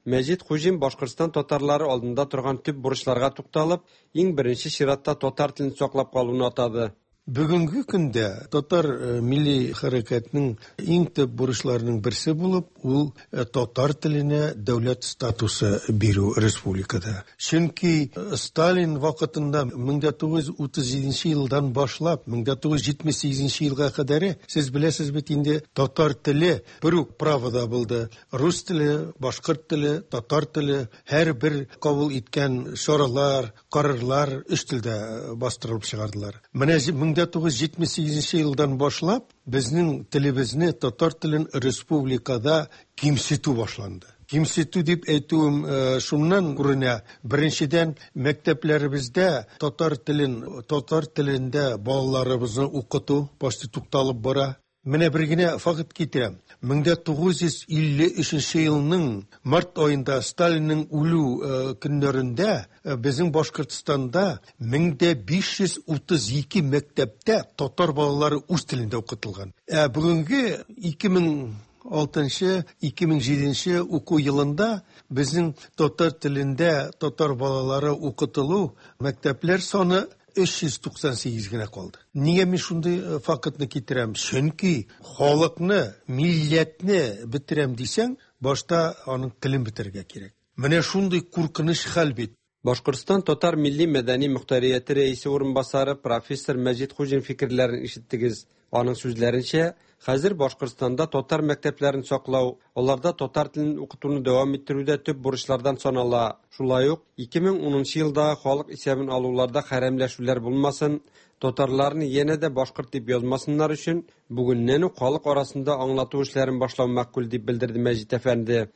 Мәҗит Хуҗин Башкортстан татарлары алдында торган төп бурычларга тукталып, иң беренче чиратта татар телен саклап калуны атады. Бүгенге көндә татар милли хәрәкәтенең иң төп бурычларының берсе булып, ул татар теленә дәүләт статусы бирү республикада. Чөнки Сталин вакытында мең тугыз йөз утыз җиденче елдан башлап мең тугыз йөз җитмеш сигезенче елга кадәр, сез беләсез бит инде, татар теле бер үк правода булды. Рус теле, башкорт теле, татар теле һәрбер кабул иткән чаралар, карарлар өч телдә бастырылып чыгардылар. Менә мең тугыз йөз җитмеш сигезенче елдан башлап безнең телебезне, татар телен республикада кимсетү башланды. Кимсетү дип әйтүем шуннан күренә. Беренчедән, мәктәпләребездә татар телен, татар телендә балаларыбызны укыту почти тукталып бара. Менә бер генә факт китерәм. мең тугыз йөз илле өченче елның март аенда Сталинның үлү көннәрендә безнең Башкортстанда мең биш йөз утыз ике мәктәптә татар балалары үз телендә укытылган. Ә бүгенге ике мең алтынчы, ике мең җиденче уку елында безнең татар телендә татар балалары укытылу мәктәпләр саны өч йөз туксан сигез генә калды. Нигә мин шундый фактны китерәм? Чөнки халыкны, милләтне бетерәм дисәң, башта аның телен бетерергә кирәк. Менә шундый куркыныч хәл бит. Башкортстан татар милли мәдәни мөхтәрияте рәисе урынбасары профессор Мәҗит Хуҗин фикерләрен ишеттегез. Аның сүзләренчә, хәзер Башкортстанда татар мәктәпләрен саклау, аларда татар телен укытуны дәвам иттерүдә төп бурычлардан санала. Шулай ук ике мең унынчы елдагы халык исәбен алуларда хәрәмләшүләр булмасын, татарларны янә дә башкорт дип язмасыннар өчен бүгеннән үк халык арасында аңлату эшләрен башлау мәкъбул дип белдерде Мәҗит әфәнде.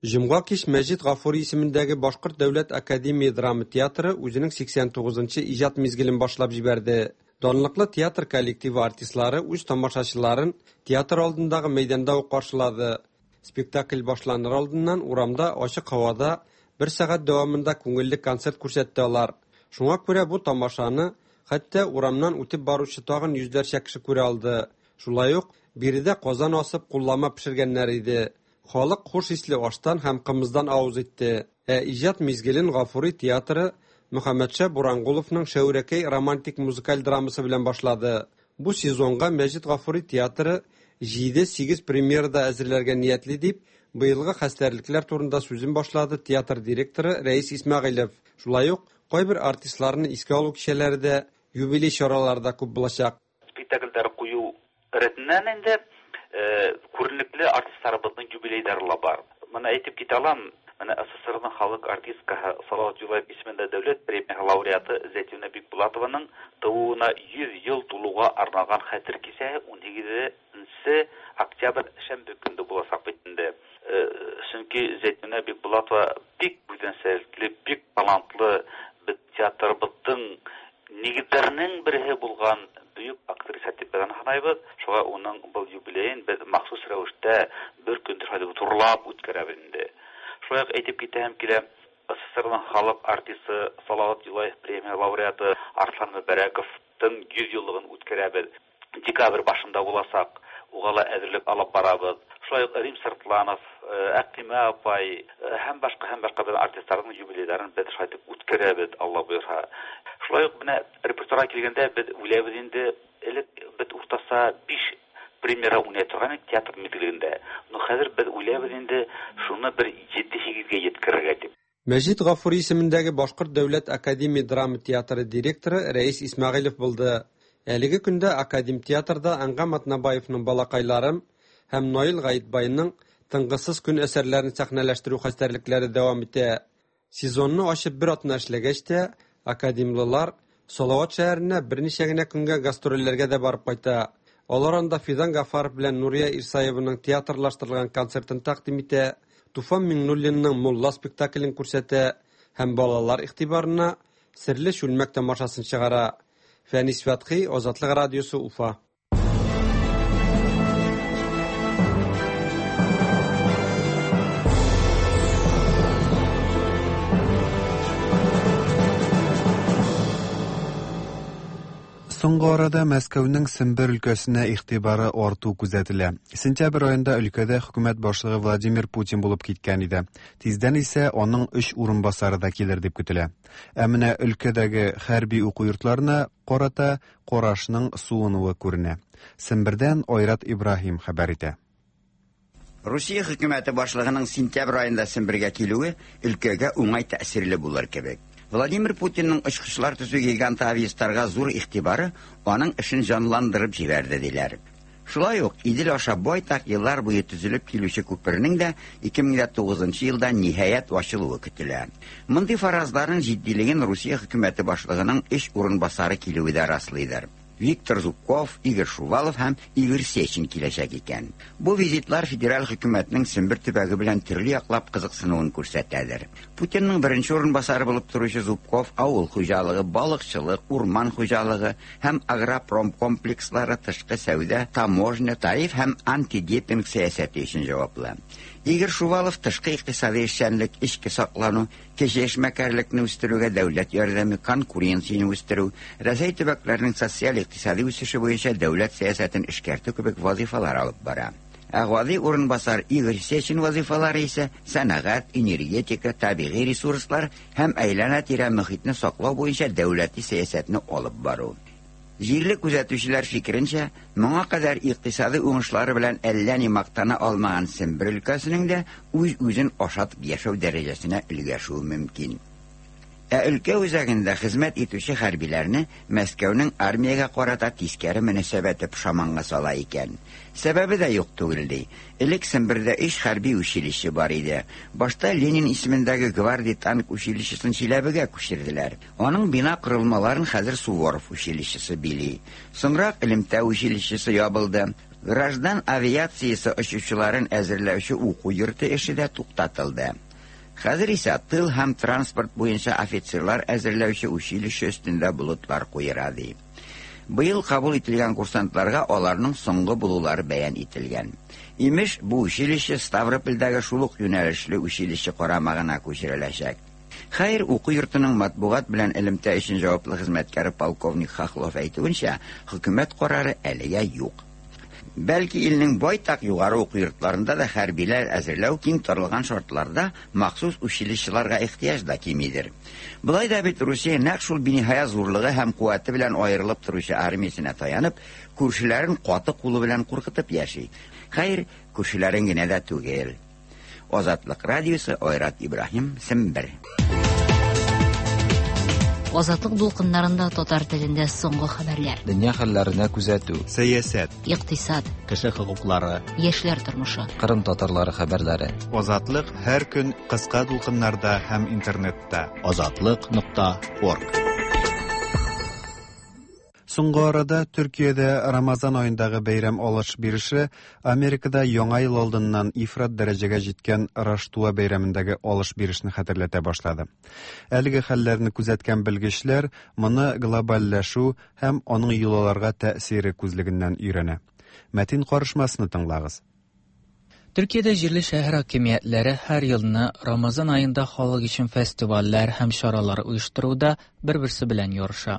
Җомга кич Мәҗит Гафури исемендәге Башкорт дәүләт академия драма театры үзенең сиксән тугызынчы иҗат мизгелен башлап җибәрде. Данлыклы театр коллективы артистлары үз тамашачыларын театр алдындагы мәйданда ук каршылады. Спектакль башланыр алдыннан урамда ачык һавада бер сәгать дәвамында күңелле концерт күрсәтте алар. Шуңа күрә бу тамашаны хәтта урамнан үтеп баручы тагын йөзләрчә кеше күрә алды. Шулай ук биредә казан асып куллама пешергәннәр иде. Халык хуш исле аштан һәм кымыздан авыз итте. Ә иҗат мизгелен Гафури театры Мөхәммәтша Бурангуловның Шәүрәкәй романтик музыкаль драмасы белән башлады. Бу сезонга Мәҗит Гафури театры җиде-сигез премьерада әзерләргә ниятли дип, быелгы хәстәрлекләр турында сүзен башлады театр директоры Рәис Исмәгыйлев. Шулай ук кайбер артистларны искә алу кичәләре дә, юбилей чаралары да күп булачак. Спектакльләр кую рәтеннән инде күренекле артистларыбызның юбилейлары ла бар. Моны әйтеп китә алам, менә СССРның халык артисткасы Салават Юлаев исемендә дәүләт премия лауреаты Зәйтүнә Бикбулатованың тууына йөз ел тулуга арналган хәтер кичәсе унһигезенче октябрь шәмбе көндә булачак бит инде. Чөнки Зәйтүнә Бикбулатова бик үзенчәлекле, бик талантлы, бит театрыбызның нигезләренең бере булган бөек актриса дип санайбыз. Шуңа уның был юбилеен без махсус рәвештә бер көн шулай турлап үткәрәбез инде. Шулай ук әйтеп китәм килә, СССРның халык артисты Салават Юлаев премия лауреаты Арслан Мөбәрәковтың йөз еллыгын үткәрәбез. Декабрь башында буласак, уга ла әзерлек алып барабыз. Шулай ук Рим Сыртланов, Әкълимә апай һәм башка һәм башка бер артистларның юбилейларын без шулай итеп үткәрәбез, Алла боерса. Шулай ук менә репертуарга килгәндә без уйлайбыз инде, элек без уртаса биш премьера уйный торган идек театр мизгелендә. Но хәзер без уйлайбыз инде шуны бер җиде-сигезгә җиткерергә дип. Мәҗит Гафури исемендәге Башкорт дәүләт академия драма театры директоры Рәис Исмәгыйлев булды. Әлеге көндә академ театрда Әнгам Атнабаевның Балакайларым һәм Наил Гаитбайның Тынгысыз көн әсәрләрен сәхнәләштерү хәстәрлекләре дәвам итә. Сезонны ачып бер атна эшләгәч тә, академлылар Салават шәһәренә берничә генә көнгә гастрольләргә дә барып кайта. Алар анда Фидан Гафаров белән Нурия Ирсаеваның театрлаштырылган концертын тәкъдим итә, Туфан Миңнуллинның Мулла спектаклен күрсәтә һәм балалар игътибарына Серле чүлмәк тамашасын чыгара. Фәнис Фәтхи, Азатлык радиосы, Уфа. Соңгы арада Мәскәүнең Сембер өлкәсенә игътибары арту күзәтелә. Сентябрь аенда өлкәдә хөкүмәт башлыгы Владимир Путин булып киткән иде. Тиздән исә аның өч урынбасары да килер дип көтелә. Ә менә өлкәдәге хәрби уку йортларына карата карашның суынуы күренә. Сембердән Айрат Ибраһим хәбәр итә. Русия хөкүмәте башлыгының сентябрь аенда Сембергә килүе өлкәгә уңай тәэсирле булыр кебек. Владимир Путинның очкычлар төзү гиганты Авиастарга зур игътибары аның эшен җанландырып җибәрде диләр. Шулай ук Идел аша байтак еллар буе төзелеп килүче күпернең дә ике мең тугызынчы елда ниһаять ачылуы көтелә. Мондый фаразларның җитдилеген Русия хөкүмәте башлыгының өч урынбасары килүе дә раслыйдыр. Виктор Зубков, Игорь Шувалов һәм Игорь Сечин киләчәк икән. Бу визитлар федераль хөкүмәтнең Сембер төбәге белән төрле яклап кызыксынуын күрсәтәдер. Путинның беренче урынбасары булып торучы Зубков авыл хуҗалыгы, балыкчылык, урман хуҗалыгы һәм агропром комплекслары, тышкы сәүдә, таможня, тариф һәм антидепинг сәясәте өчен җаваплы. Игорь Шувалов тышкы икътисади эшчәнлек, эчке саклану, кече эшмәкәрлекне үстерүгә дәүләт ярдәме, конкуренцияне үстерү, Рәсәй төбәкләренең социаль икътисади үсеше буенча дәүләт сәясәтен эшкәртү кебек вазифалар алып бара. Ә гади урынбасар Игорь Сечин вазифалары исә сәнәгать, энергетика, табигый ресурслар һәм әйләнә-тирә мөхитне саклау буенча дәүләти сәясәтне алып бару. Җирле күзәтүчеләр фикеренчә, моңа кадәр икътисади уңышлары белән әллә ни мактана алмаган Сембер өлкәсенең дә үз-үзен ашатып яшәү дәрәҗәсенә өлгәшүе мөмкин. Ә өлкә үзәгендә хезмәт итүче хәрбиләрне Мәскәүнең армиягә карата тискәре мөнәсәбәте пошаманга сала икән. Сәбәбе дә юк түгел ди. Элек Сембердә өч хәрби училище бар иде. Башта Ленин исемендәге гвардия танк училищесын Чиләбегә күчерделәр. Аның бина корылмаларын хәзер Суворов училищесы били. Соңрак элемтә училищесы ябылды. Граждан авиациясе очучыларын әзерләүче уку йорты эше дә туктатылды. Хәзер исә тыл һәм транспорт буенча офицерлар әзерләүче училище өстендә болытлар куера ди. Быел кабул ителгән курсантларга аларның соңгы булулары бәян ителгән. Имеш, бу училище Ставропольдәге шул ук юнәлешле училище карамагына күчереләчәк. Хәер, уку йортының матбугат белән элемтә өчен җаваплы хезмәткәре полковник Хохлов әйтүенчә, хөкүмәт карары әлегә юк. Бәлки илнең байтак югары уку йортларында да хәрбиләр әзерләү киң таралган шартларда махсус училищеларга ихтыяҗ да кимидер. Болай да бит Русия нәкъ шул биниһая зурлыгы һәм куәте белән аерылып торучы армиясенә таянып, күршеләрен каты кулы белән куркытып яши. Хәер, күршеләрен генә дә түгел. Азатлык радиосы, Айрат Ибраһим, Сембер. Азатлык дулкыннарында татар телендә соңгы хәбәрләр. Дөнья хәлләренә күзәтү, сәясәт, икътисад, кеше хокуклары, яшьләр тормышы, Кырым татарлары хәбәрләре. Азатлык һәр көн кыска дулкыннарда һәм интернетта. Азатлык нокта орг. Соңгы арада Төркиядә Рамазан аендагы бәйрәм алыш-биреше Америкада Яңа ел алдыннан ифрат дәрәҗәгә җиткән Раштуа бәйрәмендәге алыш-бирешне хәтерләтә башлады. Әлеге хәлләрне күзәткән белгечләр моны глобальләшү һәм аның йолаларга тәэсире күзлегеннән өйрәнә. Мәтин карышмасны тыңлагыз. Төркиядә җирле шәһәр хакимиятләре һәр елны Рамазан аенда халык өчен фестивальләр һәм чаралар оештыруда бер-берсе белән ярыша.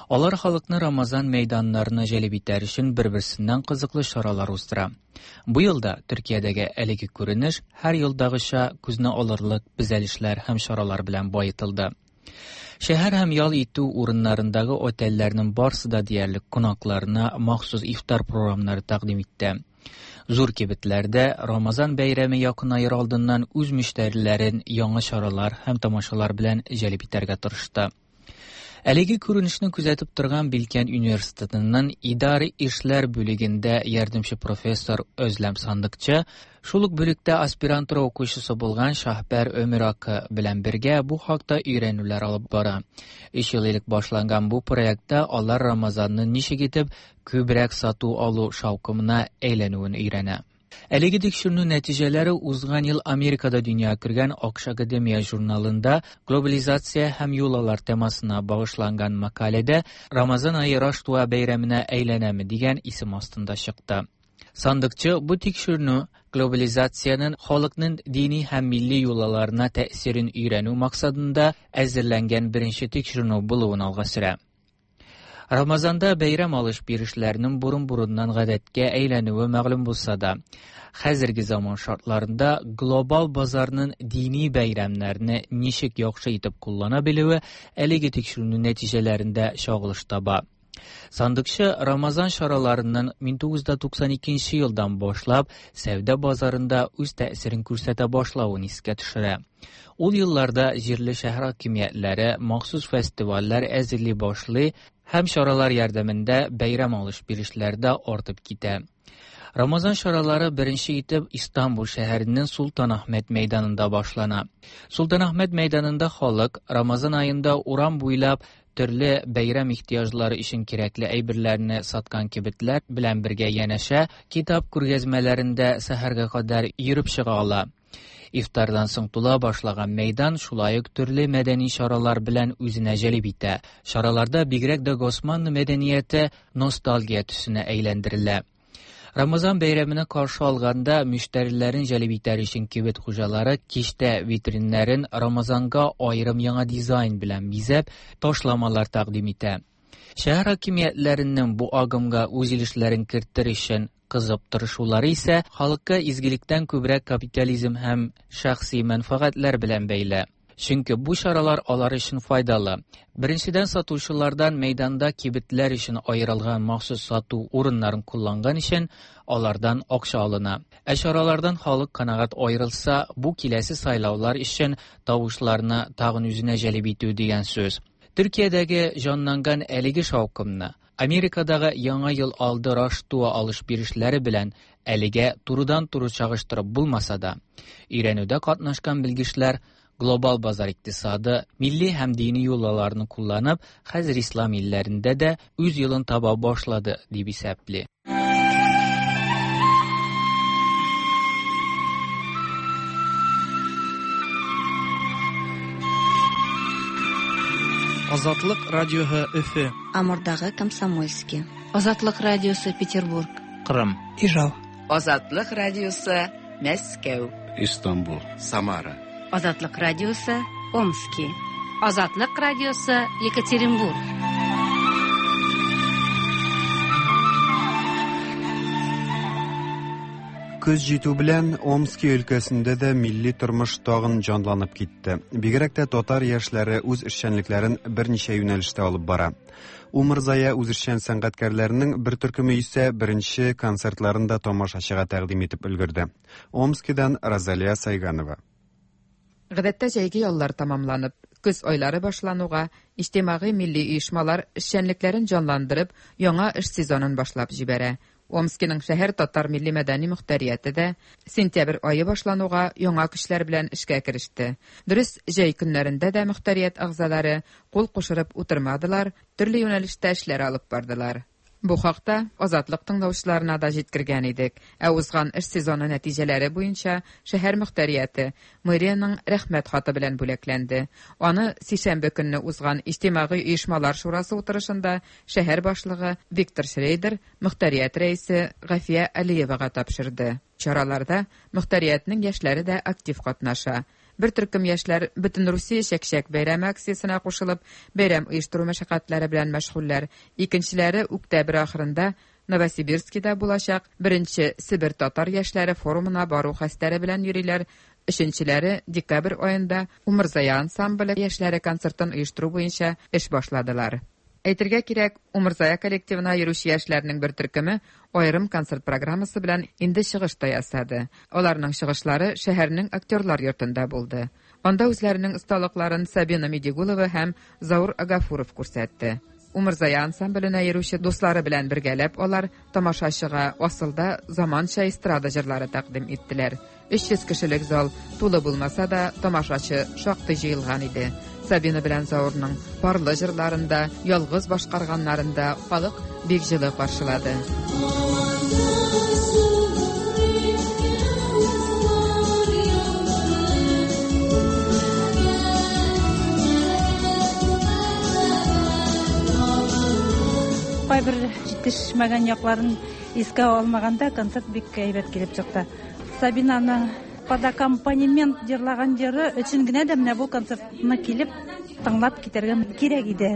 Алар халыкны Рамазан мәйданнарына җәлеп итәр өчен бер-берсеннән кызыклы чаралар уздыра. Бу елда Төркиядәге әлеге күренеш һәр елдагыча күзне алырлык бизәлешләр һәм чаралар белән баетылды. Шәһәр һәм ял итү урыннарындагы отельләрнең барсы да диярлек кунакларына махсус ифтар програмнары тәкъдим итте. Зур кибетләрдә Рамазан бәйрәме якынаер алдыннан үз мөштәриләрен яңа чаралар һәм тамашалар белән җәлеп итәргә тырышты. Әлеге күренешне күзәтеп торган Билкән университетының идари эшләр бүлегендә ярдәмче профессор Özlem Сандыкчы, шул ук бүлектә аспирантура укучысы булган Шаһбәр Өмиракы белән бергә бу хакта өйрәнүләр алып бара. Өч ел элек башланган бу проектта алар Рамазанны ничек итеп күбрәк сату алу шаукымына әйләнүен өйрәнә. Әлеге тикшеренү нәтиҗәләре узган ел Америкада дөнья күргән АКШ Академия журналында глобализация һәм йолалар темасына багышланган мәкаләдә Рамазан ае Раштуа бәйрәменә әйләнәме дигән исем астында чыкты. Сандыкчы бу тикшеренү глобализациянең халыкның дини һәм милли йолаларына тәэсирен өйрәнү максатында әзерләнгән беренче тикшеренү булуын алга сөрә. Рамазанда бәйрәм алыш-бирешләрнең борын-борыннан гадәткә әйләнүе мәгълүм булса да, хәзерге заман шартларында глобал базарның дини бәйрәмнәрне ничек яхшы итеп куллана белүе әлеге тикшеренү нәтиҗәләрендә чагылыш таба. Сандыкчы Рамазан чараларының мең тугыз йөз туксан икенче елдан башлап сәүдә базарында үз тәэсирен күрсәтә башлавын искә төшерә. Ул елларда җирле шәһәр хакимиятләре махсус фестивальләр әзерли башлый һәм чаралар ярдәмендә бәйрәм алыш-бирешләр дә артып китә. Рамазан чаралары беренче итеп Истанбул шәһәренең Султанахмет мәйданында башлана. Султанахмет мәйданында халык Рамазан аенда урам буйлап төрле бәйрәм ихтыяҗлары өчен кирәкле әйберләрне саткан кибетләр белән бергә янәшә китап күргәзмәләрендә сәхәргә кадәр йөреп чыга ала. Ифтардан соң тула башлаган мәйдан шулай ук төрле мәдәни чаралар белән үзенә җәлеп итә. Чараларда бигрәк дә Госманлы мәдәнияте ностальгия төсенә әйләндерелә. Рамазан бәйрәменә каршы алганда мөштәриләрен җәлеп итәр өчен кибет хуҗалары кичтә витриннәрен Рамазанга аерым яңа дизайн белән бизәп, ташламалар тәкъдим итә. Шәһәр хакимиятләренең бу агымга үз өлешләрен кертер өчен кызып тырышулары исә халыкка изгелектән күбрәк капитализм һәм шәхси мәнфәгатьләр белән бәйле. Чөнки бу чаралар алар өчен файдалы. Беренчедән, сатучылардан мәйданда кибетләр өчен аерылган махсус сату урыннарын кулланган өчен алардан акча алына. Ә чаралардан халык канәгать аерылса, бу киләсе сайлаулар өчен тавышларны тагын үзенә җәлеп итү дигән сүз. Төркиядәге җанланган әлеге шаукымны Америкадагы Яңа ел алды Раштуа алыш-бирешләре белән әлегә турыдан-туры чагыштырып булмаса да, өйрәнүдә катнашкан белгечләр глобал базар икътисады, милли һәм дини йолаларны кулланып, хәзер ислам илләрендә дә үз юлын таба башлады дип исәпли. Азатлык радиоһы Өфө. Амурдагы Комсомольский. Азатлык радиосы Петербург. Кырым. Ижау. Азатлык радиосы Мәскәү. Истанбул. Самара. Азатлык радиосы Омски. Азатлык радиосы Екатеринбург. Көз җитү белән Омски өлкәсендә дә милли тормыш тагын җанланып китте. Бигрәк тә татар яшьләре үз эшчәнлекләрен берничә юнәлештә алып бара. Умырзая үзешчән сәнгатькәрләренең бер төркеме исә беренче концертларын да тамашачыга тәкъдим итеп өлгерде. Омскидан Розалия Сайганова. Гадәттә җәйге яллар тамамланып, көз айлары башлануга иҗтимагый милли оешмалар эшчәнлекләрен җанландырып, яңа эш сезонын башлап җибәрә. Омскиның шәһәр татар милли мәдәни мөхтәрияте дә сентябрь ае башлануга яңа көчләр белән эшкә кереште. Дөрес, җәй көннәрендә дә мөхтәрият әгъзалары кул кушырып утырмадылар, төрле юнәлештә эшләр алып бардылар. Бу хакта Азатлык тыңлаучыларына да җиткергән идек. Ә узган эш сезоны нәтиҗәләре буенча шәһәр мөхтәрияте мэриянең рәхмәт хаты белән бүләкләнде. Аны сишәмбе көнне узган иҗтимагый оешмалар шурасы утырышында шәһәр башлыгы Виктор Шрейдер мөхтәрият рәисе Гафия Алиевага тапшырды. Чараларда мөхтәриятнең яшьләре дә актив катнаша. Бер төркем яшьләр бөтен Русия чәкчәк бәйрәме акциясенә кушылып, бәйрәм оештыру мәшәкатьләре белән мәшгульләр. Икенчеләре октябрь ахырында Новосибирскида булачак беренче Себер татар яшьләре форумына бару хәстәре белән йөриләр. Өченчеләре декабрь аенда Умырзая ансамбле яшьләре концертын оештыру буенча эш башладылар. Әйтергә кирәк, Умырзая коллективына йөрүче яшьләрнең бер төркеме аерым концерт программасы белән инде чыгыш та ясады. Аларның чыгышлары шәһәрнең актерлар йортында булды. Анда үзләренең осталыкларын Сабина Медигулова һәм Заур Агафуров күрсәтте. Умырзая ансамбленә йөрүче дуслары белән бергәләп алар тамашачыга асылда заманча эстрада җырлары тәкъдим иттеләр. өч йөз кешелек зал тулы булмаса да тамашачы шактый җыелган иде. Сабина белән Заурның парлы җырларында, ялгыз башкарганнарында халык бик җылы каршылады. Кайбер җитешмәгән якларын искә алмаганда концерт бик әйбәт килеп чыкты. Сабинаны под аккомпанемент җырлаган җыры өчен генә дә менә бу концертны килеп тыңлап китәргә кирәк иде.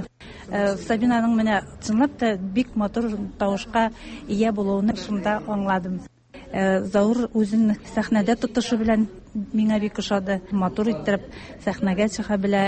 Сабинаның менә чынлап та бик матур тавышка ия булуын шунда аңладым. Заур үзен сәхнәдә тотышы белән миңа бик ошады. Матур иттереп сәхнәгә чыга белә,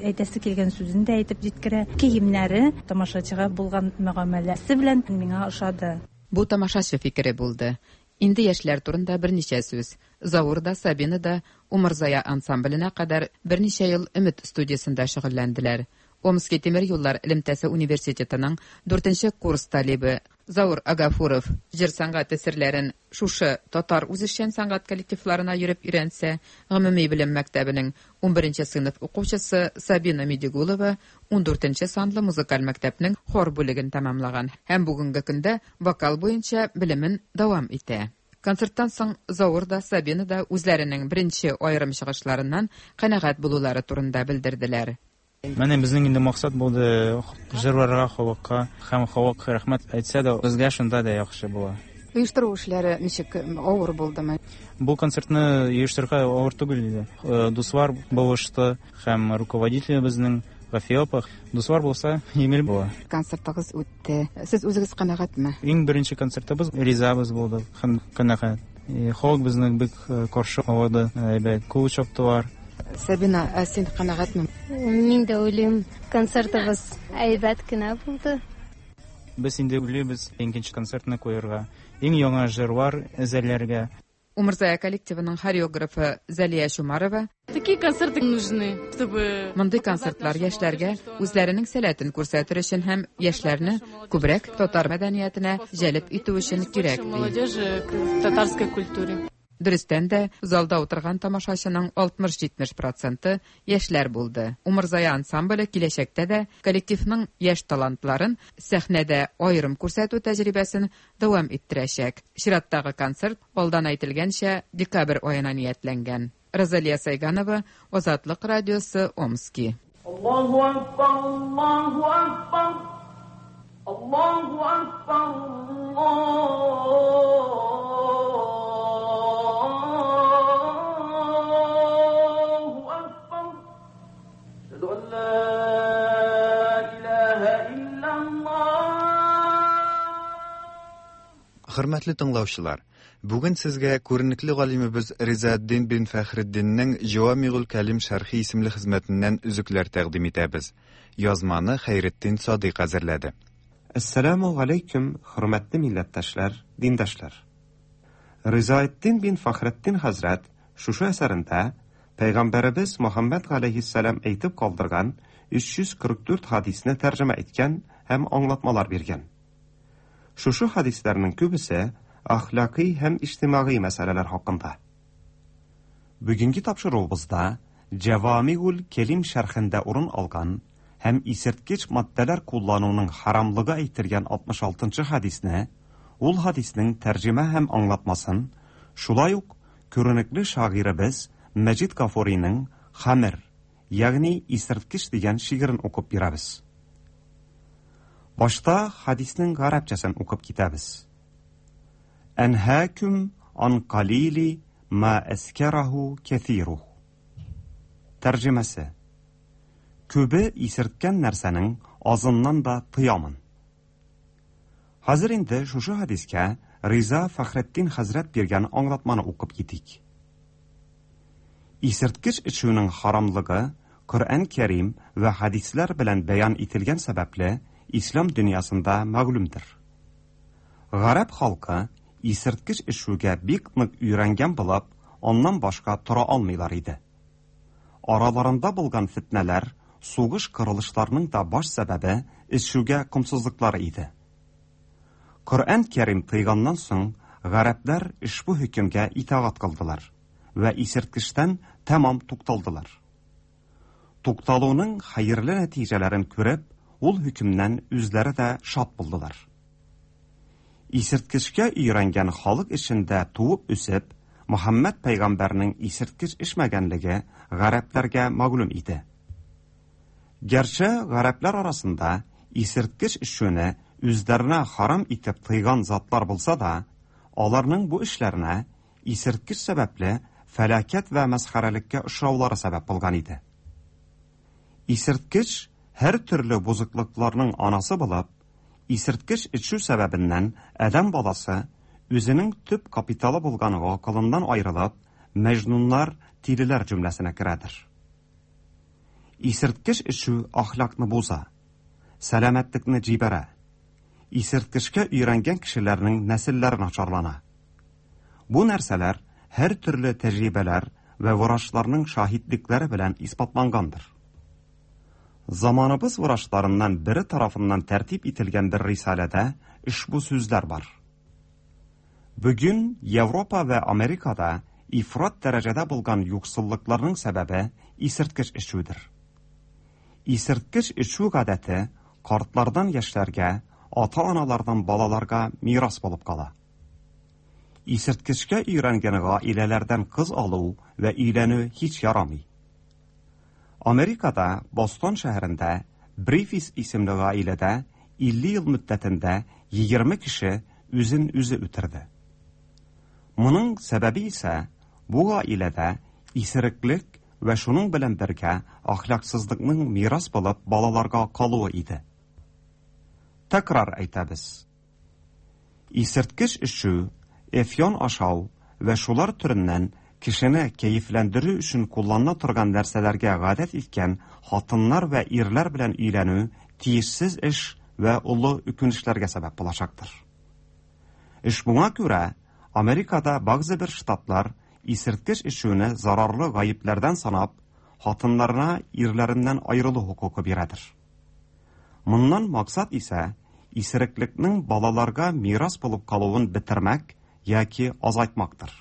әйтәсе килгән сүзен дә әйтеп җиткерә. Киемнәре тамашачыга булган мөгамәләсе белән миңа ошады. Бу тамашачы фикере булды. Инде яшьләр турында берничә сүз. Заур да, Сабина да Умырзая ансамбленә кадәр берничә ел Өмет студиясендә шөгыльләнделәр. Омски тимер юллар элемтәсе университетының дүртенче курс талибы Заур Агафуров җыр сәнгате серләрен шушы татар үзешчән сәнгать коллективларына йөреп өйрәнсә, гомуми белем мәктәбенең унберенче сыйныф укучысы Сабина Медигулова ундүртенче санлы музыкаль мәктәпнең хор бүлеген тәмамлаган һәм бүгенге көндә вокал буенча белемен дәвам итә. Концерттан соң Заур да, Сабина да үзләренең беренче аерым чыгышларыннан канәгать булулары турында белдерделәр. Менә безнең инде максат булды җырларга, халыкка һәм халык рәхмәт әйтсә дә, безгә шунда да яхшы була. Оештыру эшләре ничек, авыр булдымы? Бу концертны оештырырга авыр түгел иде. Дуслар булышты һәм руководитель безнең Гафия апа. Дуслар булса, җиңел була. Концертыгыз үтте. Сез үзегез канәгатьме? Иң беренче концертыбыз ризабыз булды һәм канәгать. Халык безне бик каршы алды, әйбәт кул чаптылар. Сабина, ә син канәгатьме? Мин дә уйлыйм, концертыбыз әйбәт кенә булды. Без инде уйлыйбыз икенче концертны куярга, иң яңа җырлар әзерләргә. Умырзая коллективының хореографы Зәлия Чумарова: Такие концерты нужны, чтобы Мондый концертлар яшьләргә үзләренең сәләтен күрсәтер өчен һәм яшьләрне күбрәк татар мәдәниятенә җәлеп итү өчен кирәк, ди. Молодежи к татарской культуре. Дөрестән дә, залда утырган тамашачының алтмыш-җитмеш проценты яшьләр булды. Умырзая ансамбле киләчәктә дә коллективның яшь талантларын сәхнәдә аерым күрсәтү тәҗрибәсен дәвам иттерәчәк. Чираттагы концерт алдан әйтелгәнчә декабрь аена ниятләнгән. Розалия Сайганова, Азатлык радиосы, Омски. Allahu akbar, Allahu akbar, Allahu akbar, Allahu akbar. Eşhedü en la ilahe illallah. Хөрмәтле тыңлаучылар, бүген сезгә күренекле галимебез Ризаэддин бин Фәхретдиннең Җавамигул Кәлим шәрхи исемле хезмәтеннән өзекләр тәкъдим итәбез. Язманы Хәйретдин Садыйк әзерләде. Әссәламү галәйкүм, хөрмәтле милләттәшләр, диндашлар. Ризаэддин бин Фәхретдин хәзрәт шушы әсәрендә Пәйгамбәребез Мөхәммәд галәйһиссәлам әйтеп калдырган өч йөз кырык дүрт хадисне тәрҗемә иткән һәм аңлатмалар биргән. Шушы хадисләрнең күбесе әхлакый һәм иҗтимагый мәсьәләләр хакында. Бүгенге тапшыруыбызда Җавамигул Кәлим шәрхендә урын алган һәм исерткеч матдәләр куллануның харамлыгы әйтелгән алтмыш алтынчы хадисне, ул хадиснең тәрҗемә һәм аңлатмасын, шулай ук күренекле шагыйребез Мәҗид Гафуриның Хамер, ягъни исерткеч дигән шигырен укып бирәбез. Башта хадиснең гарәпчәсен укып китәбез. Әнһәкүм ан қалили ма әскәрәһу кәҫируһ. Тәрҗемәсе: Күбе исерткән нәрсәнең азыннан да тыямын. Хәзер инде шушы хадискә Риза Фәхретдин хәзрәт биргән аңлатманы укып китик. Исерткеч эчүнең харамлыгы Коръән Кәрим вә хадисләр белән бәян ителгән сәбәпле Ислам дөньясында мәгълүмдер. Гарәп халкы исерткеч эчүгә бик нык өйрәнгән булып, аннан башка тора алмыйлар иде. Араларында булган фитнәләр, сугыш кырылышларының да баш сәбәбе эчүгә комсызлыклары иде. Коръән Кәрим тыйганнан соң, гарәпләр ошбу хөкемгә итагать кылдылар вә исерткечтән тәмам тукталдылар. Тукталуның хәерле нәтиҗәләрен күреп, ул хөкемнән үзләре дә шат булдылар. Исерткечкә өйрәнгән халык эчендә туып үсеп, Мөхәммәд пәйгамбәрнең исерткеч эчмәгәнлеге гарәпләргә мәгълүм иде. Гәрчә гарәпләр арасында исерткеч эчүне үзләренә харам итеп тыйган затлар булса да, аларның бу эшләренә исерткеч сәбәпле фәлакәт вә мәсхәрәлеккә очраулары сәбәп булган иде. Исерткеч һәр төрле бозыклыкларның анасы булып, исерткеч эчү сәбәбеннән адәм баласы үзенең төп капиталы булган гакылыннан аерылып, мәҗнуннар, тилеләр җөмләсенә керәдер. Исерткеч эчү әхлакны боза, сәламәтлекне җибәрә. Исерткечкә өйрәнгән кешеләрнең нәселләре начарлана. Бу нәрсәләр һәр төрле тәҗрибәләр вә врачларның шаһитлекләре белән исбатлангандыр. Заманыбыз врачларыннан бире тарафыннан тәртип ителгән бер рисаләдә ошбу сүзләр бар. Бүген Европа вә Америкада ифрат дәрәҗәдә булган юксыллыкларның сәбәбе исерткеч эчүдер. Исерткеч эчү гадәте картлардан яшьләргә, ата-аналардан балаларга мирас булып кала. Исерткечкә өйрәнгән гаиләләрдән кыз алу вә өйләнү һич ярамый. Америкада Бостон шәһәрендә Брифис исемле гаиләдә илле ел мөддәтендә егерме кеше үзен үзе үтерде. Моның сәбәбе исә бу гаиләдә исереклек вә шуның белән бергә әхлаксызлыкның мирас булып балаларга калуы иде. Тәкрар әйтәбез. Исерткеч эчү, эфьон ашау вә шулар төреннән кешене кәефләндерү өчен кулланыла торган нәрсәләргә гадәт иткән хатыннар вә ирләр белән өйләнү тиешсез эш вә олы үкенечләргә сәбәп булачактыр. Эш буңа күрә Америкада бәгъзе бер штатлар исерткеч эчүне зарарлы гаепләрдән санап, хатыннарына ирләреннән аерылу хокукы бирәдер. Моннан максат исә исереклекнең балаларга мирас булып калуын бетермәк яки азайтмактыр.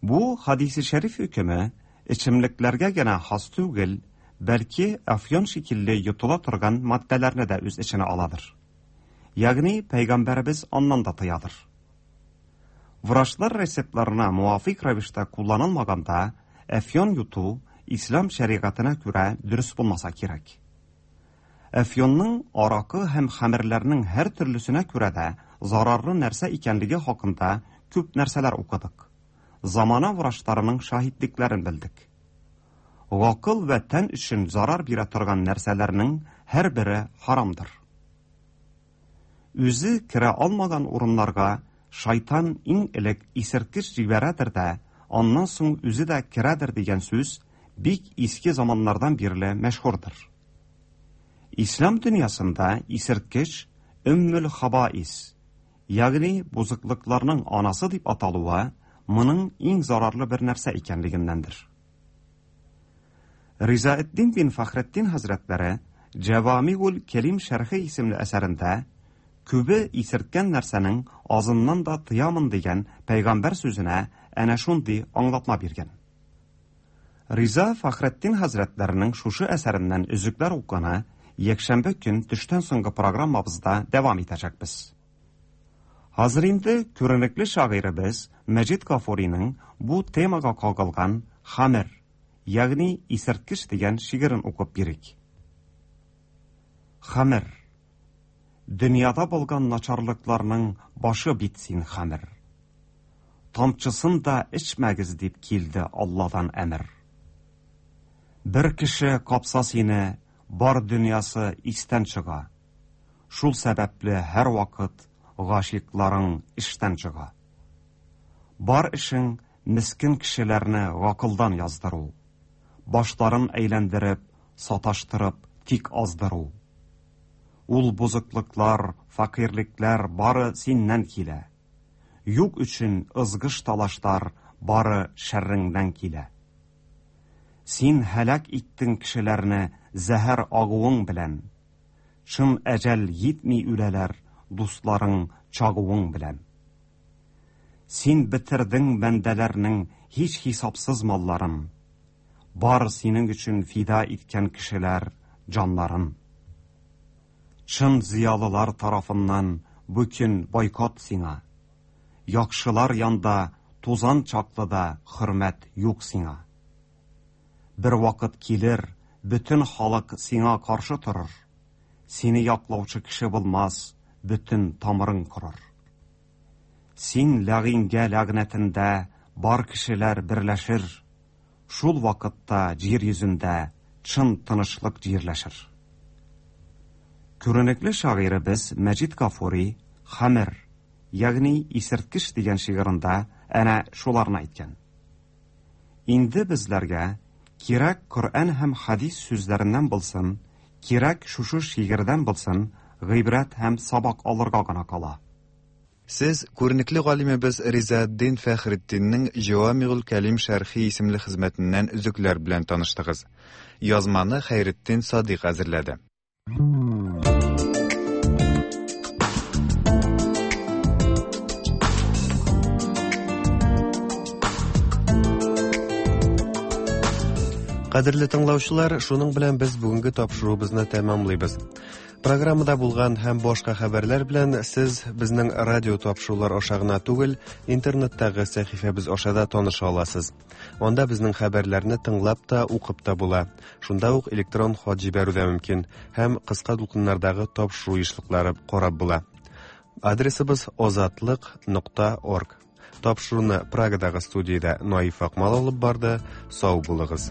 Бу хадисе шәриф хөкеме эчемлекләргә генә хас түгел, бәлки әфьон шикелле йотыла торган матдәләрне дә үз эченә аладыр. Ягъни пәйгамбәребез аннан да тыядыр. Врачлар рецептларына муафик рәвештә кулланылмаганда әфьон йоту ислам шәригатенә күрә дөрес булмаса кирәк. Әфьюнның аракы һәм хәмерләрнең һәр төрлесенә күрә дә зарарлы нәрсә икәнлеге хакында күп нәрсәләр укыдык. Замана врачларының шаһитлекләрен белдек. Гакыл вә тән өчен зарар бирә торган нәрсәләрнең һәрбере харамдыр. Үзе керә алмаган урыннарга шайтан иң элек исерткеч җибәрәдер дә, аннан соң үзе дә керәдер дигән сүз бик иске заманнардан бирле мәшһүрдер. Ислам дөньясында исерткеч өммül хабаис, ягъни бозыклыкларның анасы дип аталуы моның иң зарарлы бер нәрсә икәнлегеннәндер. Ризаэддин бин Фәхретдин хәзрәтләре Җәвамигул Кәлим шәрхе исемле әсәрендә күбе исерткән нәрсәнең азыннан да тыямын дигән пәйгамбәр сүзенә әнә шундый аңлатма биргән. Риза Фәхретдин хәзрәтләренең шушы әсәреннән өзекләр укуны якшәмбе көн төштән соңгы программабызда дәвам итәчәкбез. Хәзер инде күренекле шагыйребез Мәҗит Гафуриның бу темага кагылган Хәмер, ягъни исерткеч дигән шигырен укып бирик. Хәмер. Дөньяда булган начарлыкларның башы бит син, хәмер. Тамчысын да эчмәгез дип килде Алладан әмер. Бер кеше капса сине, бар дөньясы истән чыга. Шул сәбәпле һәр вакыт гашикларың эштән чыга. Бар эшең мискен кешеләрне гакылдан яздыру, башларын әйләндереп, саташтырып, тик аздыру. Ул бозыклыклар, фәкыйрьлекләр бары синнән килә. Юк өчен ызгыш талашлар бары шәрреңнән килә. Син һәлак иттең кешеләрне зәһәр агуың белән. Чын әҗәл йитми үләләр дусларың чагуың белән. Син бетердең бәндәләрнең һич хисапсыз малларын. Бар синең өчен фида иткән кешеләр җаннарын. Чын зыялылар тарафыннан бүген бойкот сиңа. Яхшылар янда тузан чаклы да хөрмәт юк сиңа. Бер вакыт килер, бөтен халык сиңа каршы торыр. Сине яклаучы кеше булмас, бөтен тамырың корыр. Син ләгыйнгә ләгънәтендә бар кешеләр берләшер. Шул вакытта җир йөзендә чын тынычлык җирләшер. Күренекле шагыйребез Мәҗит Гафури Хәмер, ягъни исерткеч дигән шигырендә әнә шуларны әйткән. Инде безләргә кирәк Коръән һәм хадис сүзләреннән булсын, кирәк шушы шигырьдән булсын, гыйбрәт һәм сабак алырга гына кала. Сез күренекле галимебез Ризаэддин Фәхретдиннең Җәвамигул Кәлим шәрхи исемле хезмәтеннән өзекләр белән таныштыгыз. Язманы Хәйретдин Садыйк әзерләде. Кадерле тыңлаучылар, шуның белән без бүгенге тапшыруыбызны тәмамлыйбыз. Программада булган һәм башка хәбәрләр белән сез безнең радио тапшырулар аша гына түгел, интернеттагы сәхифәбез аша да таныша аласыз. Анда безнең хәбәрләрне тыңлап та, укып та була. Шунда ук электрон хат җибәрү дә мөмкин һәм кыска дулкыннардагы тапшыру ешлыклары карап була. Адресыбыз озатлык нокта орг. Тапшыруны Прагадагы студиядә Наиф Акмал алып барды. Сау булыгыз.